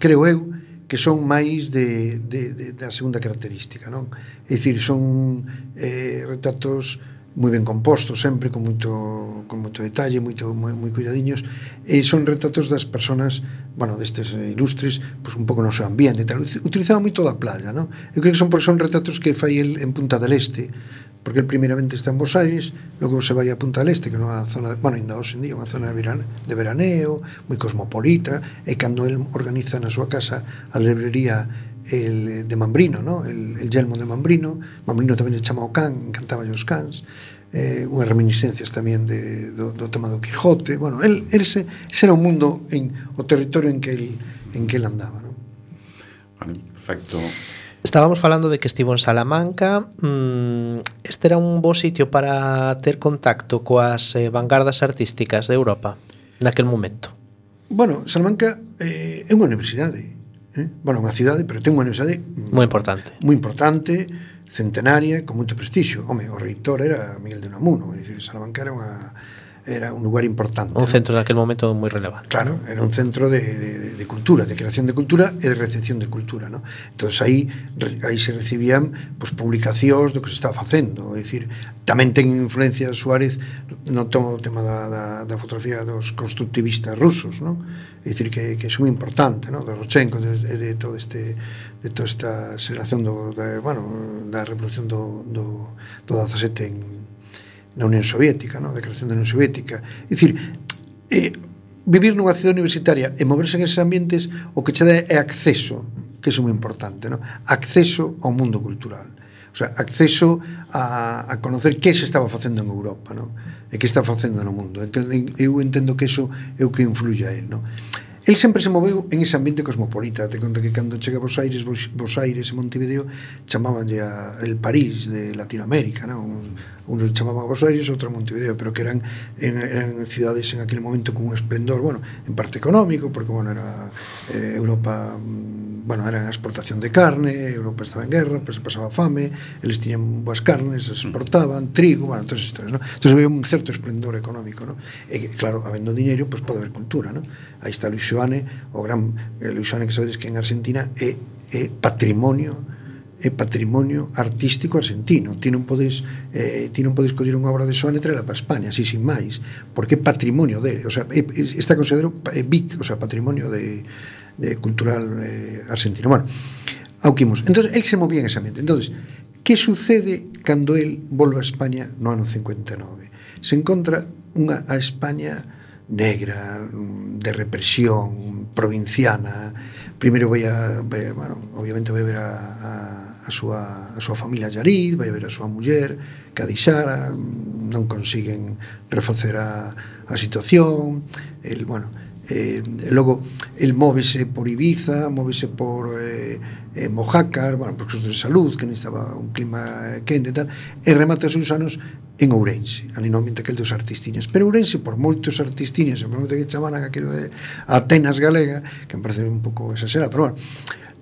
creo eu, que son máis de, de, de, da segunda característica, non? É dicir, son eh, retratos moi ben compostos, sempre con moito, con moito detalle, moito, moi, moi cuidadiños, e son retratos das persoas, bueno, destes ilustres, pois un pouco no seu ambiente e tal. Utilizaban moito da playa, non? Eu creo que son, son retratos que fai el en Punta del Este, porque el primeiramente está en Bos Aires, logo se vai a Punta del Este, que é unha zona, de, bueno, ainda hoxe en día, unha zona de, verane, de veraneo, moi cosmopolita, e cando el organiza na súa casa a librería el de Mambrino, ¿no? el, el Yelmo de Mambrino, Mambrino tamén le chama o can, encantaba os cans, eh, unhas reminiscencias tamén de, do, do tema do Quijote, bueno, el, el ese, ese era un mundo, en, o territorio en que el, en que el andaba, ¿no? Vale, perfecto. Estábamos falando de que estivo en Salamanca. Este era un bo sitio para ter contacto coas eh, vanguardas artísticas de Europa naquel momento. Bueno, Salamanca eh, é unha universidade, eh? Bueno, unha cidade, pero ten unha universidade moi importante. Moi importante, centenaria, con moito prestixio. Home, o reitor era Miguel de Unamuno, é dicir, Salamanca era unha era un lugar importante. Un centro ¿no? naquel momento moi relevante. Claro, era un centro de, de, de cultura, de creación de cultura e de recepción de cultura, ¿no? Entonces aí aí se recibían pues, publicacións do que se estaba facendo, é dicir, tamén ten influencia Suárez no todo o tema da, da, da fotografía dos constructivistas rusos, ¿no? É dicir, que, que é moi importante, ¿no? De Rodchenko, de, de todo este de toda esta aceleración do, de, bueno, da revolución do, do, do dezasete en na Unión Soviética, ¿no? De creación da Unión Soviética. É dicir, eh, vivir nunha cidade universitaria e moverse en esos ambientes o que che dá é acceso, que é moi importante, ¿no? Acceso ao mundo cultural. O sea, acceso a, a conocer que se estaba facendo en Europa, ¿no? E que está facendo no mundo. Eu entendo que eso é o que influye a él, ¿no? El sempre se moveu en ese ambiente cosmopolita. Te conto que cando chega a Bos Aires, Bos, Bos Aires e Montevideo chamabanlle a el París de Latinoamérica, ¿no? Un, unos chamaban a Bos Aires, outro a Montevideo, pero que eran, eran cidades en aquel momento con un esplendor, bueno, en parte económico, porque, bueno, era eh, Europa, bueno, era a exportación de carne, Europa estaba en guerra, pues se pasaba fame, eles tiñan boas carnes, se exportaban, trigo, bueno, todas esas historias, ¿no? Entonces había un certo esplendor económico, ¿no? E, claro, habendo diñeiro, pues pode haber cultura, ¿no? Aí está Luis Xoane, o gran eh, Luis Xoane, que sabedes que en Argentina é, é patrimonio é patrimonio artístico argentino. Ti non podes eh, ti non podes coller unha obra de Xoane e traela para España, así sin máis, porque é patrimonio dele, o sea, é, está considerado é B I C, o sea, patrimonio de, de cultural eh, argentino. Bueno, auquimos. Entonces, él se movía en ese ambiente. Entonces, que sucede cando él volve a España no ano cincuenta e nove? Se encontra unha a España negra, de represión, provinciana. Primeiro vai a, vai, bueno, obviamente vai ver a, a, a súa a súa familia Allariz, vai ver a súa muller que a deixara, non consiguen refacer a, a situación. El, bueno, Eh, logo, el móvese por Ibiza, móvese por eh, eh, Mojácar, bueno, por cosas de salud, que necesitaba un clima quente e tal, e remata os seus anos en Ourense, ali no ambiente aquel dos artistiñas. Pero Ourense, por moitos artistiñas, por moito que chamaran aquilo de Atenas galega, que me parece un pouco exagerado, pero bueno,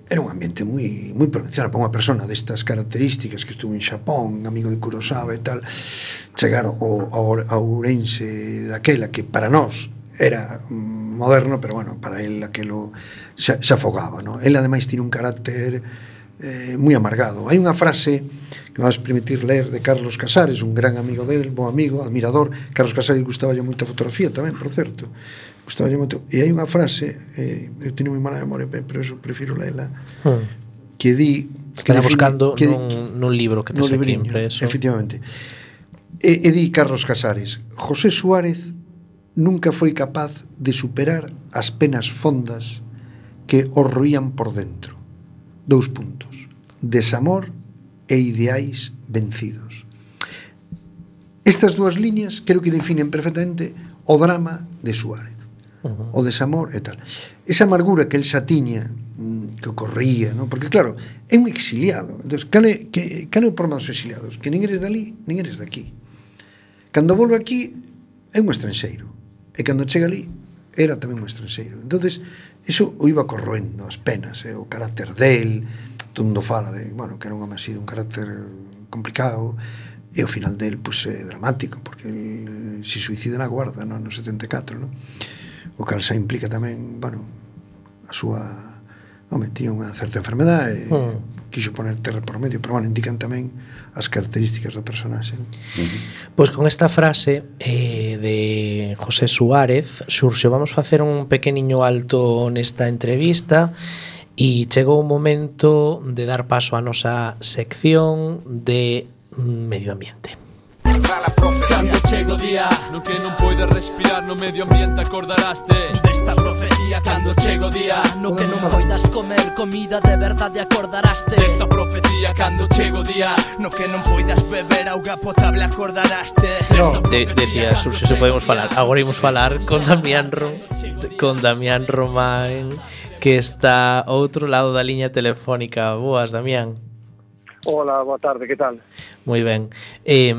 era un ambiente moi moi provincial para unha persona destas características que estuvo en Xapón, amigo de Kurosawa e tal, chegar ao, ao, ao Ourense daquela que para nós era moderno, pero bueno, para él aquelo se, se afogaba, ¿no? Él ademais tiene un carácter eh, moi amargado. Hai unha frase que me vas permitir ler de Carlos Casares, un gran amigo del, bo amigo, admirador. Carlos Casares gustaba moita fotografía tamén, por certo. Gustaba moito. E hai unha frase, eh, eu teño moi mala memoria, pero eso prefiro lela, hmm. que di... Estará buscando que nun, di, nun libro que te sei aquí impreso. Efectivamente. E, e di Carlos Casares: José Suárez nunca foi capaz de superar as penas fondas que os roían por dentro. Dous puntos: desamor e ideais vencidos. Estas dúas liñas creo que definen perfectamente o drama de Suárez. Uh-huh. O desamor e tal. Esa amargura que el xa tiña, que ocorría, ¿no? Porque claro, é un exiliado. Entón, cale, que, cale o problema dos exiliados? Que nin eres dali, nin eres daqui. Cando volve aquí, é un estranxeiro. E cando chega ali era tamén un estranxeiro. Entonces eso o iba corroendo as penas, eh, o carácter del, todo mundo fala de, bueno, que era un home así de un carácter complicado, e o final del pues é dramático, porque el se suicida na Guarda, no, no setenta e catro, no? O cal xa implica tamén, bueno, a súa, home, tiña unha certa enfermedade, mm. quixo poner terra por medio, pero bueno, indican tamén as características do personaxe, ¿no? Uh-huh. Pois con esta frase eh, de José Suárez xurxe, vamos facer un pequeniño alto nesta entrevista e chegou o momento de dar paso á nosa sección de medio ambiente. Cando chego día no que non poides respirar, no medio ambiente acordaraste desta profecía. Cando chego día no que non poidas comer comida de verdade, acordaraste desta profecía. Cando chego día no que non poidas beber auga potable, acordaraste no. De, decía Xurxo, se podemos falar. Agora imos falar con Damián Rom, con Damián Román, que está ao outro lado da liña telefónica. Boas, Damián. Hola, boa tarde, que tal? Moi ben. Eh,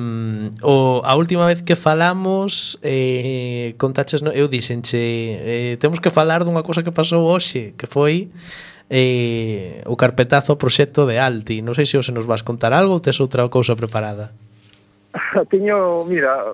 o, a última vez que falamos eh, contaches, no, eu dixenche eh, temos que falar dunha cousa que pasou hoxe, que foi eh, o carpetazo ao proxecto de Alti. Non sei se hoxe nos vas contar algo ou tes outra cousa preparada. Teño, mira,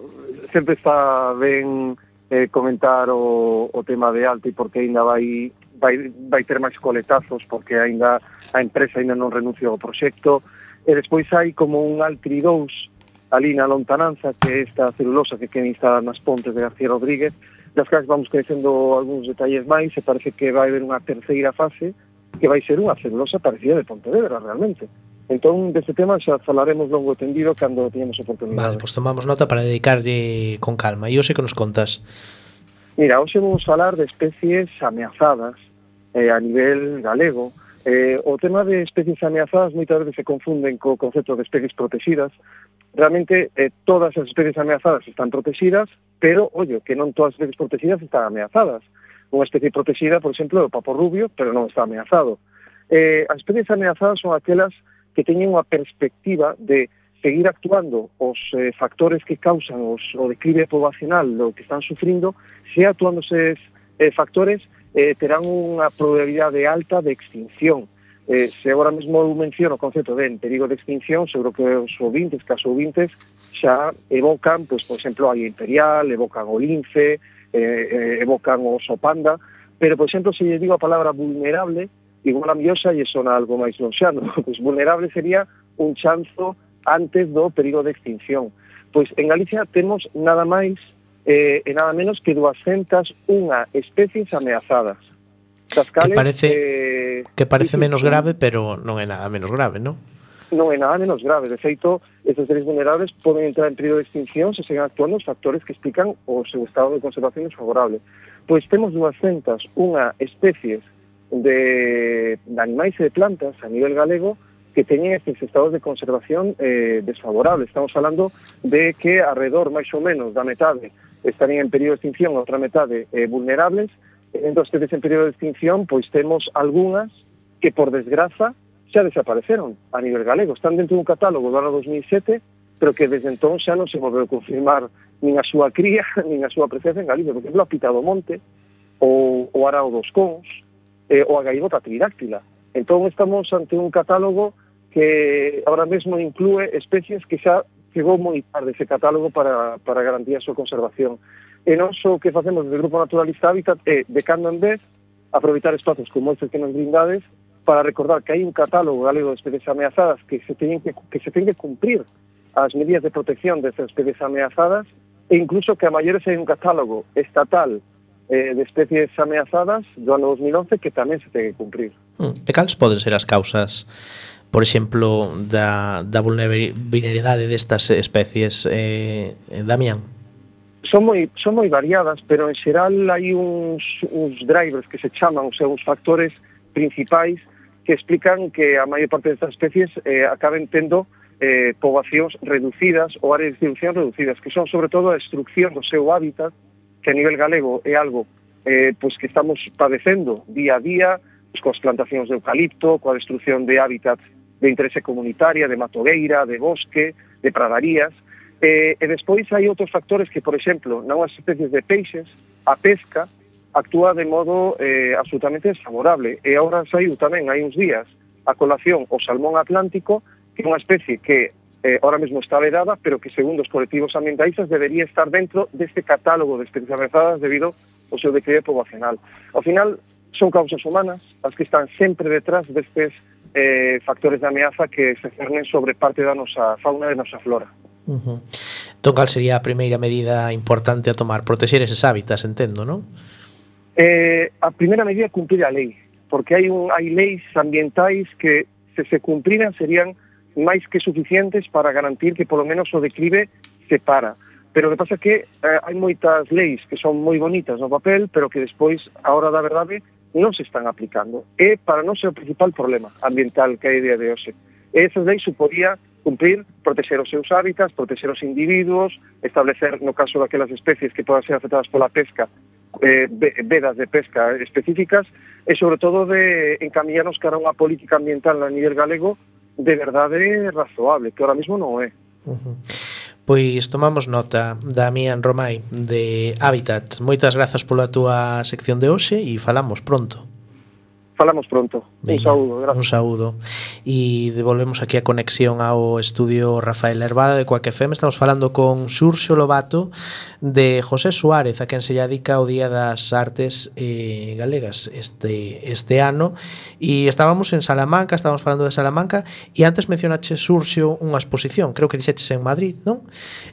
sempre está ben eh, comentar o, o tema de Alti, porque aínda vai, vai, vai ter máis coletazos, porque aínda a empresa aínda non renunciou ao proxecto. E despois hai como un Altri dous ali na lontananza, que é esta celulosa que queda instalada nas pontes de García Rodríguez, das que vamos conhecendo algúns detalles máis, e parece que vai haber unha terceira fase que vai ser unha celulosa parecida de Pontevedra realmente. Entón, deste tema xa falaremos longo e tendido cando teñamos oportunidade. Vale, pois tomamos nota para dedicarlle con calma. E hoxe que nos contas? Mira, hoxe vamos falar de especies ameazadas eh, a nivel galego. Eh, o tema de especies ameazadas moitas veces se confunden co concepto de especies protegidas. Realmente eh, todas as especies ameazadas están protegidas, pero, oye, que non todas as especies protegidas están ameazadas. Unha especie protegida, por exemplo, é o papo rubio, pero non está ameazado. Eh, as especies ameazadas son aquelas que teñen unha perspectiva de seguir actuando os eh, factores que causan os, o declive poblacional do que están sufrindo, se actuando eses eh, factores Eh, terán unha probabilidade alta de extinción. Eh, se agora mesmo eu menciono o concepto de en perigo de extinción, seguro que os ouvintes, caso ouvintes, xa evocan, pois, por exemplo, a águia imperial, evocan o lince, eh, eh, evocan o oso panda, pero, por exemplo, se lle digo a palabra vulnerable, igual a miosa lle sona algo máis lonxano. Pois vulnerable sería un chanzo antes do perigo de extinción. Pois en Galicia temos nada máis Eh, e nada menos que duascentas unha especies ameazadas. Das cales, que parece, eh, que parece menos grave, pero non é nada menos grave, non? Non é nada menos grave. De feito, estes seres vulnerables poden entrar en período de extinción se seguen actuando os factores que explican o seu estado de conservación desfavorable. Pois temos duascentas unha especies de, de animais e de plantas a nivel galego que teñen estes estados de conservación eh, desfavorables. Estamos falando de que alrededor máis ou menos da metade estarían en período de extinción, outra metade eh, vulnerables, E dentro das especies en período de extinción, pois temos algunhas que, por desgraza, xa desapareceron a nivel galego. Están dentro dun catálogo do ano dos mil sete, pero que desde entón xa non se volveu a confirmar nin a súa cría, nin a súa presencia en Galicia. Por exemplo, a pita do monte, o, o arao dos cons, eh, ou a gaivota tridáctila. Entón estamos ante un catálogo que ahora mesmo inclúe especies que xa chegou moi tarde ese catálogo para, para garantir a súa conservación. E non só que facemos desde o Grupo Naturalista Hábitat é, de cando en vez, aproveitar espazos como estes que nos brindades para recordar que hai un catálogo galego de especies ameazadas que se teñen que, que, se teñen que cumprir as medidas de protección destas especies ameazadas e incluso que a maiores hai un catálogo estatal eh, de especies ameazadas do ano dos mil once que tamén se ten que cumprir. E cales poden ser as causas, por exemplo, da, da vulnerabilidade destas especies, eh, Damián? Son moi, son moi variadas, pero en xeral hai uns, uns drivers que se chaman, ou sea, uns factores principais que explican que a maior parte destas especies eh, acaben tendo eh, poboacións reducidas ou áreas de distribución reducidas, que son sobre todo a destrucción do seu hábitat, que a nivel galego é algo eh, pues que estamos padecendo día a día, pues, coas plantacións de eucalipto, coa destrucción de hábitats de interese comunitaria, de matogueira, de bosque, de pradarías. Eh, e despois hai outros factores que, por exemplo, nas especies de peixes, a pesca actúa de modo eh, absolutamente desfavorable. E agora saiu tamén, hai uns días, a colación o salmón atlántico, que é unha especie que eh, ahora mesmo está vedada, pero que, segundo os colectivos ambientalistas, debería estar dentro deste catálogo de especies ameazadas debido ao seu declive poboacional. Ao final, son causas humanas as que están sempre detrás destes eh, factores de ameaza que se cernen sobre parte da nosa fauna e da nosa flora. Uh-huh. Entón, cal sería a primeira medida importante a tomar? Protexer eses hábitats, entendo, non? Eh, a primeira medida é cumprir a lei, porque hai, un, hai leis ambientais que, se se cumpriran, serían máis que suficientes para garantir que polo menos o declive se para. Pero o que pasa é que eh, hai moitas leis que son moi bonitas no papel, pero que despois, a hora da verdade, non se están aplicando. E para non ser o principal problema ambiental que hai a día de hoxe. E esas leis suporía cumprir, proteger os seus hábitats, proteger os individuos, establecer, no caso daquelas especies que podan ser afectadas pola pesca, eh, vedas de pesca específicas, e sobre todo de encaminharnos cara a unha política ambiental a nivel galego de verdade razoable, que ahora mismo non é. Uh-huh. Pois tomamos nota, Damián Romai, de Hábitat. Moitas grazas pola túa sección de hoxe e falamos pronto. Falamos pronto. Venga, un saúdo, gracias. Un saúdo. E devolvemos aquí a conexión ao estudio Rafael Herbada de Coac F M. Estamos falando con Xurxo Lobato de José Suárez, a quen se lle dedica o Día das Artes eh, Galegas este, este ano. E estábamos en Salamanca, estábamos falando de Salamanca, e antes mencionache, Xurxo, unha exposición, creo que dixeches en Madrid, non?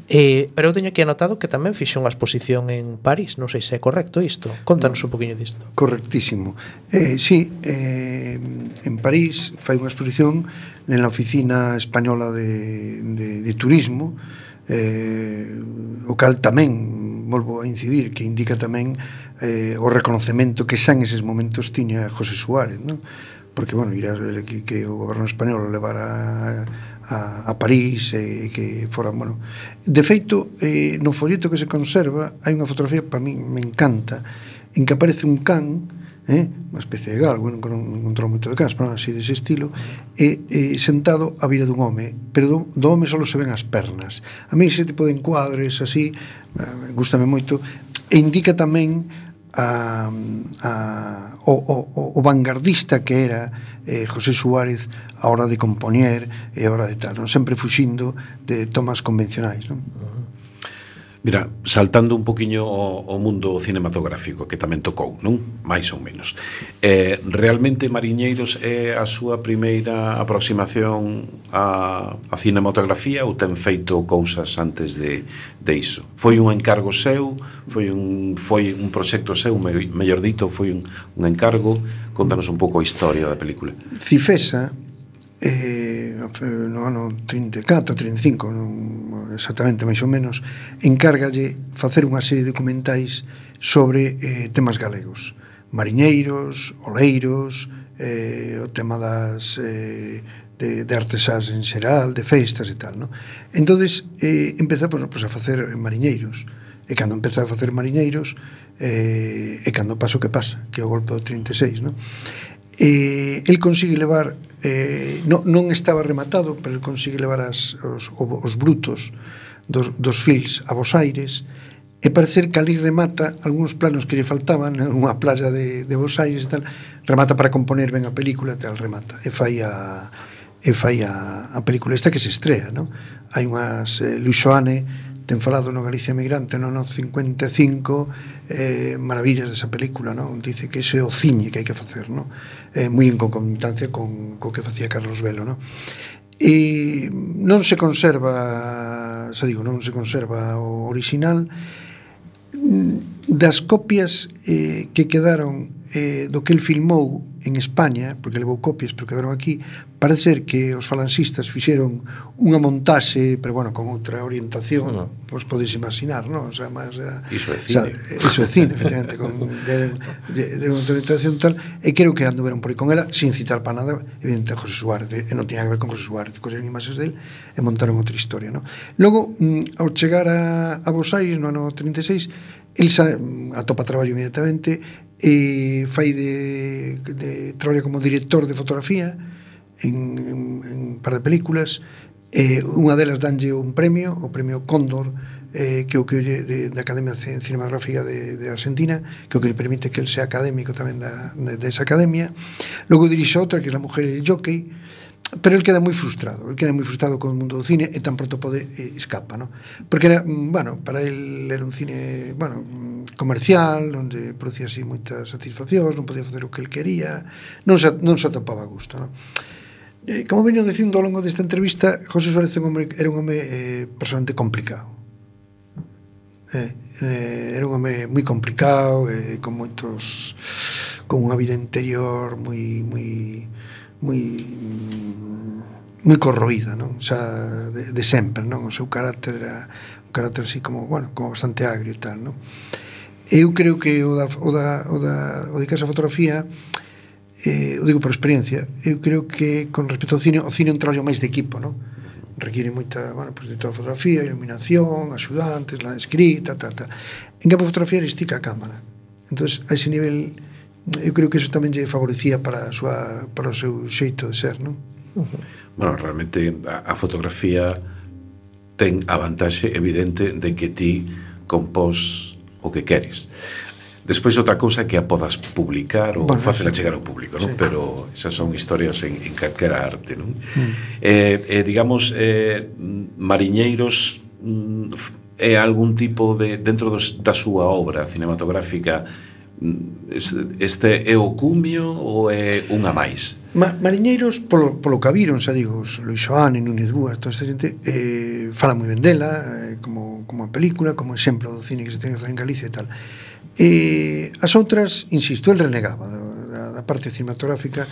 Eh, pero eu teño aquí anotado que tamén fixe unha exposición en París, non sei se é correcto isto. Contanos un poquinho disto. Correctísimo. Eh, sí, eh, en París fai unha exposición na Oficina Española de, de, de Turismo, eh, o cal tamén, volvo a incidir, que indica tamén eh, o reconocemento que xa en eses momentos tiña José Suárez, non? Porque, bueno, ir a, que, que o goberno español levara a, a, a París e eh, que fora, bueno, de feito, eh, no folleto que se conserva hai unha fotografía, para mí me encanta, en que aparece un can, eh, unha especie de galgo, non encontrou moito de cans, pero así dese estilo, e, e sentado á vira dun home, pero do, do home só se ven as pernas. A mí ese tipo de encuadres así, eh, gustame moito, e indica tamén a, a, o, o, o vanguardista que era eh, José Suárez a hora de compoñer e a hora de tal, non? Sempre fuxindo de tomas convencionais, non? Mira, saltando un poquinho o, o mundo cinematográfico que tamén tocou, non? Mais ou menos. Eh, realmente Mariñeiros é a súa primeira aproximación a, a cinematografía ou ten feito cousas antes de, de iso? Foi un encargo seu? Foi un, foi un proxecto seu, me, mellor dito, foi un, un encargo? Contanos un pouco a historia da película. Cifesa, eh, no ano trinta e catro, trinta e cinco, non exactamente, máis ou menos, encárgalle facer unha serie de documentais sobre eh, temas galegos, mariñeiros, oleiros, eh, o tema das eh, de, de artesás en xeral, de festas e tal, non? Entonces eh, empeza pues, pues, a facer mariñeiros, e cando empeza a facer Mariñeiros, eh, e cando pasa o que pasa, que é o golpe do trinta e seis, non? E el consigue levar, eh, non, non estaba rematado, pero el consigue levar as, os, os brutos dos, dos fils a Bos Aires, e parecer que ali remata algúns planos que lle faltaban nunha playa de, de Bos Aires e tal, remata para componer ben a película, tal, remata, e fai a e fai a, a película esta que se estrea, non? Hai unhas, eh, Luis Soane ten falado no Galicia Emigrante no ano cincuenta e cinco, eh, maravillas desa película, non? Dice que ese é o ciñe que hai que facer, non? Eh, moi en concomitancia con co que facía Carlos Velo, non? E non se conserva, xa digo, non se conserva o original. Das copias eh, que quedaron eh, do que el filmou en España, porque levou copias pero quedaron aquí, parece ser que os falanxistas fixeron unha montaxe, pero bueno, con outra orientación, no. Pois podes imaginar, non? O sea, máis, iso é cine. O sea, iso é cine, efectivamente, con de, de, de outra orientación tal, e creo que anduveron por aí con ela, sin citar para nada, evidente, José Suárez, e non tiña que ver con José Suárez, coseron imaxes del e montaron outra historia, non? Logo, mm, ao chegar a, a Bos Aires, no ano trinta e seis, el sa, atopa traballo inmediatamente e fai de, de traballo como director de fotografía en, en, en un par de películas, e unha delas danlle un premio, o premio Cóndor, eh, que o que de, da Academia Cinematográfica de, de Argentina, que o que le permite que el sea académico tamén da, de, de esa academia. Logo dirixe outra, que é La mujer e el jockey, pero el queda moi frustrado, el queda moi frustrado con o mundo do cine e tan pronto pode eh, escapa, ¿no? Porque era, bueno, para el era un cine, bueno, comercial, onde producía así moitas satisfaccións, non podía facer o que el quería, non se, non se atopaba a gusto, ¿no? Eh, como veño dicindo ao longo desta entrevista, José Suárez era un home, era un home eh, personalmente complicado. Eh, eh, era un home moi complicado, eh, con moitos, con unha vida interior moi moi moi moi corroída, non? O sea, de, de sempre, non? O seu carácter era un carácter así como, bueno, como bastante agrio e tal, non? Eu creo que o da o da o da o de casa fotografía, eh, o digo por experiencia, eu creo que con respecto ao cine, o cine é un traballo máis de equipo, non? Requiere moita, bueno, pues de toda a fotografía, iluminación, axudantes, la escrita, tal, tal. En campo de fotografía estica a cámara. Entonces, a ese nivel, eu creo que eso tamén lle favorecía para a súa, para o seu xeito de ser, non? Uh-huh. Bueno, realmente a, a fotografía ten a vantaxe evidente de que ti compós o que queres. Despois outra cousa que a podas publicar ou bueno, facela chegar ao público, non? Sí. Pero esas son historias en, en calquera arte, non? Mm. Eh, eh, digamos, eh, Mariñeiros é algún tipo de, dentro dos, da súa obra cinematográfica, este é o cumio ou é unha máis? Ma, Mariñeiros, polo, polo que viron, xa digo, Luis Soane, Núñez Búas, toda esta xente, eh, fala moi ben dela, eh, como, como a película, como exemplo do cine que se ten que facer en Galicia e tal. E as outras, insisto, el renegaba da, da parte cinematográfica.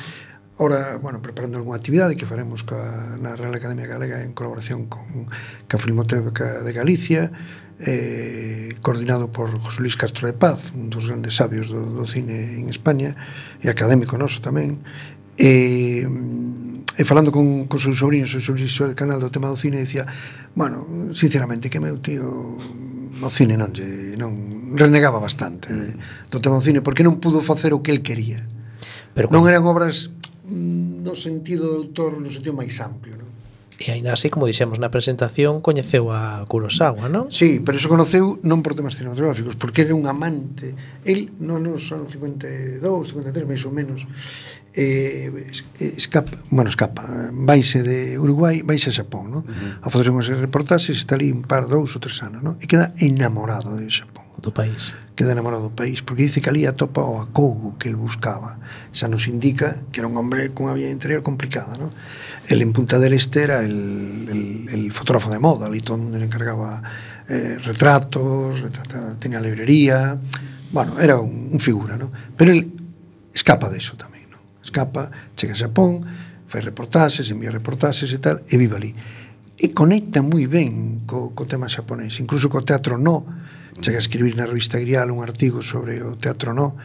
Ora, bueno, preparando algunha actividade que faremos ca, na Real Academia Galega en colaboración con ca Filmoteca de Galicia, eh, coordinado por José Luis Castro de Paz, un dos grandes sabios do, do cine en España e académico noso tamén, e, e falando con, con seu sobrino, seu sobrino do canal do tema do cine, decía, bueno, sinceramente, que meu tío o cine non lle, non renegaba bastante mm. do tema do cine, porque non pudo facer o que el quería. Pero non eran obras no sentido de autor, no sentido máis amplio, non? E ainda así, como dixemos na presentación, coñeceu a Kurosawa, non? Sí, pero eso conoceu non por temas cinematográficos, porque era un amante. El, non nos son cincuenta e dous, cincuenta e tres, máis ou menos, eh, escapa, bueno, escapa, vaise de Uruguai, vaise a Xapón, non? Uh-huh. A facer unhas reportaxes, está ali un par, dous ou tres anos, non? E queda enamorado de Xapón. Do país. Queda enamorado do país, porque dice que ali atopa o acougo que el buscaba. Xa nos indica que era un hombre cunha vida interior complicada, non? El en Punta del Este era el, el, el fotógrafo de moda, ali todo le encargaba eh, retratos, retrata, tenía librería, bueno, era un, un figura, ¿no? Pero él escapa de eso tamén, ¿no? Escapa, chega a Xapón, fai reportaxes, envía reportaxes e tal, e vive ali. E conecta moi ben co, co tema xaponés, incluso co teatro no, chega a escribir na revista Grial un artigo sobre o teatro no.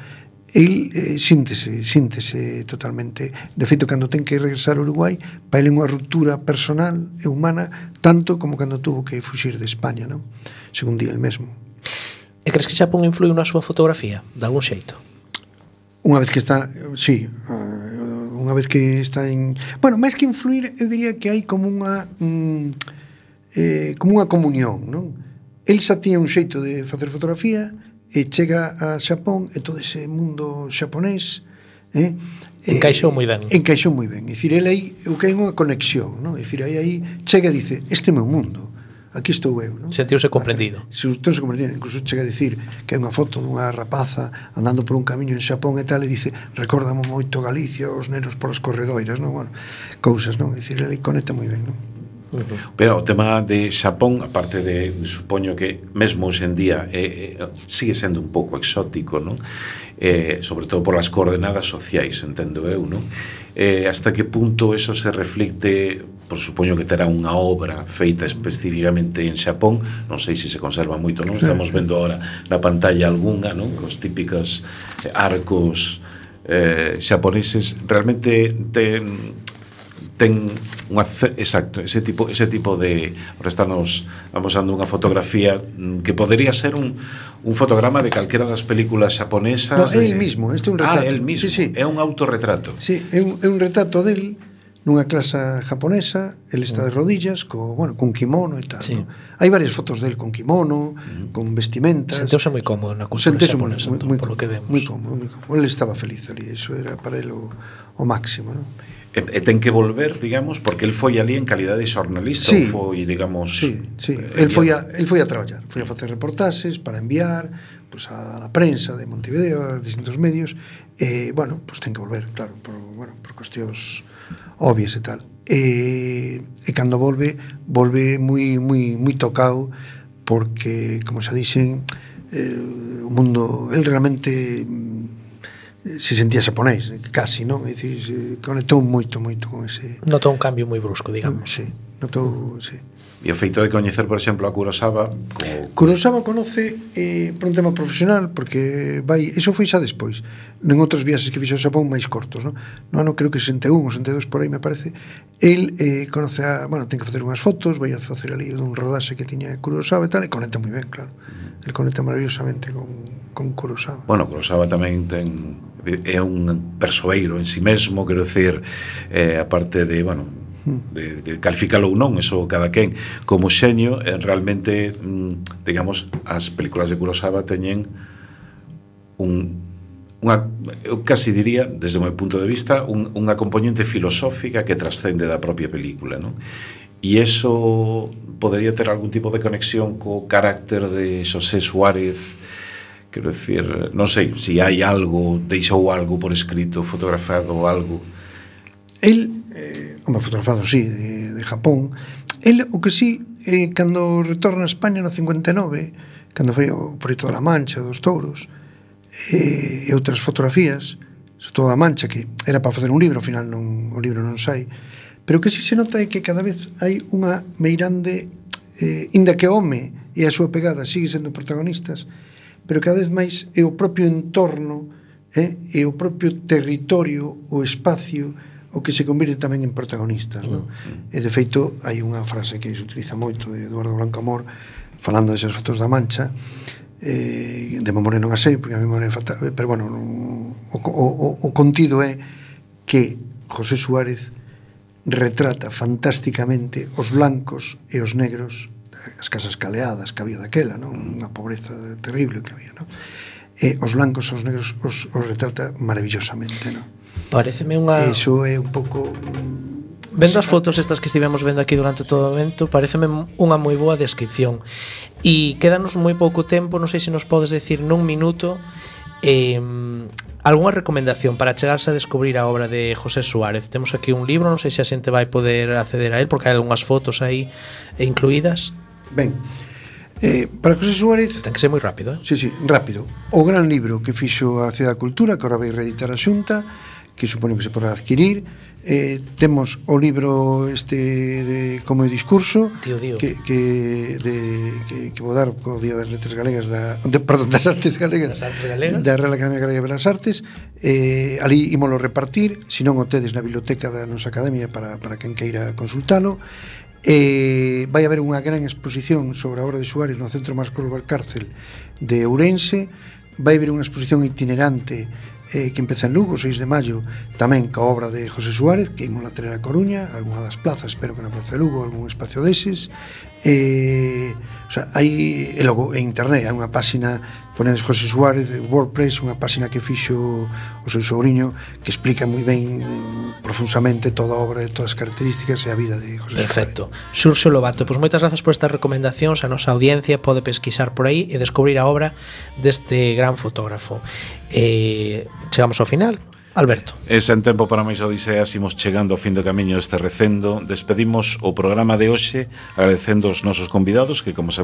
El eh, síntese, síntese totalmente. De feito, cando ten que regresar a Uruguai, para ele unha ruptura personal e humana, tanto como cando tuvo que fuxir de España, non? Según di el mesmo. E crees que Xapón influiu na súa fotografía, de algún xeito? Unha vez que está, sí, unha vez que está en... Bueno, máis que influir, eu diría que hai como unha mm, eh, como unha comunión, non? El xa tiña un xeito de facer fotografía e chega a Xapón e todo ese mundo xaponés eh, encaixou moi ben. Encaixou moi ben. É dicir, ele aí o que hai unha conexión, non? É dicir, aí aí chega e dice, este é meu mundo. Aquí estou eu, non? Sentiuse comprendido. Sentiuse comprendido, incluso chega a dicir que é unha foto dunha rapaza andando por un camiño en Xapón e tal, e dice, recórdame moito Galicia, os nenos polas corredoiras, non? Bueno, cousas, non? É dicir, ele conecta moi ben, non? Uh-huh. Pero o tema de Xapón, aparte de, supoño que mesmo hoxe en día eh, eh, sigue sendo un pouco exótico, non? Eh, sobre todo por as coordenadas sociais, entendo eu, non? Eh, hasta que punto eso se reflicte, por supoño que terá unha obra feita especificamente en Xapón, non sei se se conserva moito, non? Estamos vendo ahora na pantalla algunha, non? Cos típicos arcos eh, xaponeses, realmente ten ten unha exacto, ese tipo ese tipo de, ahora estamos amosando unha fotografía que podería ser un un fotograma de calquera das películas xaponesas. No, é de... el mismo, este é un retrato. Ah, el mismo, sí, sí. É un autorretrato. Sí, é un, é un retrato del nunha clase japonesa, el está de rodillas, co, bueno, con kimono e tal, sí. ¿no? Hai varias fotos del con kimono, uh-huh. con vestimentas. Senteuse moi cómodo na cultura xaponesa, moi, entón, moi, por lo que vemos. Moi cómodo, moi cómodo. Ele estaba feliz ali, eso era para ele o, o máximo, ¿no? E, e ten que volver, digamos, porque el foi ali en calidade de xornalista, sí, ou foi, digamos... Sí, sí, eh, el foi a, el foi a traballar, foi a facer reportaxes para enviar pues, a la prensa de Montevideo, a distintos medios, e, eh, bueno, pues ten que volver, claro, por, bueno, por cuestións obvias e tal. E, e cando volve, volve moi, moi, moi tocado, porque, como xa dixen, eh, o mundo, el realmente... se sentía xaponés, casi, non? É dicir, se conectou moito, moito con ese... Notou un cambio moi brusco, digamos. Sí, notou, sí. E o feito de coñecer, por exemplo, a Kurosawa... Como... Kurosawa conoce eh, por un tema profesional, porque vai... Eso foi xa despois, en outros viaxes que fixo ao Xapón máis cortos, non? No ano creo que sesenta e un ou sesenta e dous por aí, me parece. El eh, conoce a... Bueno, ten que facer unhas fotos, vai a facer ali dun rodaxe que tiña Kurosawa e tal, e conecta moi ben, claro. Uh-huh. El conecta maravillosamente con, con Kurosawa. Bueno, Kurosawa tamén ten... é un persoeiro en si sí mesmo, quero decir, eh, aparte de, bueno, de, de calificalo ou non, eso cada quen como xenio, eh, realmente mm, digamos, as películas de Kurosawa teñen un unha, eu casi diría, desde o meu punto de vista, un, unha componente filosófica que trascende da propia película, non? E eso podería ter algún tipo de conexión co carácter de Xosé Suárez. Quero decir, non sei se si hai algo, deixou algo por escrito, fotografado ou algo. El, eh, home, fotografado, sí, de, de Japón. El, o que sí, eh, cando retorna a España no cincuenta e nove, cando foi o proxecto da Mancha, dos touros, eh, e outras fotografías, sobre todo a Mancha, que era para facer un libro, ao final non, o libro non sai, pero o que sí se nota é que cada vez hai unha meirande, eh, inda que o home e a súa pegada sigue sendo protagonistas, pero cada vez máis é o propio entorno, eh, é o propio territorio, o espacio, o que se convirte tamén en protagonistas, non? Mm. E de feito hai unha frase que se utiliza moito de Eduardo Blanco Amor, falando desas fotos da Mancha, eh, de memoria non a sei, porque a memoria é fatal, pero bueno, o, o, o contido é que José Suárez retrata fantásticamente os blancos e os negros, as casas caleadas que había daquela, non? Unha pobreza terrible que había, non? E os blancos e os negros os, os retrata maravillosamente, non? Pareceme unha... Eso é un pouco... Vendo as fotos estas que estivemos vendo aquí durante todo o evento, pareceme unha moi boa descripción. E quédanos moi pouco tempo, non sei se nos podes decir nun minuto eh, algunha recomendación para chegarse a descubrir a obra de José Suárez. Temos aquí un libro, non sei se a xente vai poder acceder a él, porque hai algunhas fotos aí incluídas. Ben, eh, para José Suárez... Ten que ser moi rápido, eh? Sí, sí, rápido. O gran libro que fixo a Cidade da Cultura, que ahora vai reeditar a Xunta, que supoño que se podrá adquirir. Eh, temos o libro este de Como é o discurso, Tío, tío. que que de que, que vou dar co Día das Letras Galegas da, de, perdón, das Artes Galegas, das Artes Galegas da Real Academia Galega de Belas Artes. Eh, ali ímolo repartir, se non o tedes na biblioteca da nosa academia para, para quen queira consultalo. Eh, vai haber unha gran exposición sobre a obra de Suárez no Centro Máscolo Valcárcel de Ourense. Vai haber unha exposición itinerante eh, que empeza en Lugo, seis de maio, tamén ca obra de José Suárez, que imos a traer a Coruña, algunha das plazas, espero que na Plaza de Lugo, algún espacio deses. Eh, o sea, hai, e logo en internet hai unha páxina, ponedes José Suárez de WordPress, unha páxina que fixo o seu sobrinho, que explica moi ben eh, profusamente toda a obra e todas as características e a vida de José Perfecto. Suárez. Xurxo Lobato, pois moitas grazas por estas recomendacións. A nosa audiencia pode pesquisar por aí e descubrir a obra deste gran fotógrafo. Eh, chegamos ao final. Alberto. E sen tempo para máis odiseas, imos chegando ao fin do camiño deste recendo. Despedimos o programa de hoxe agradecendo aos nosos convidados que, como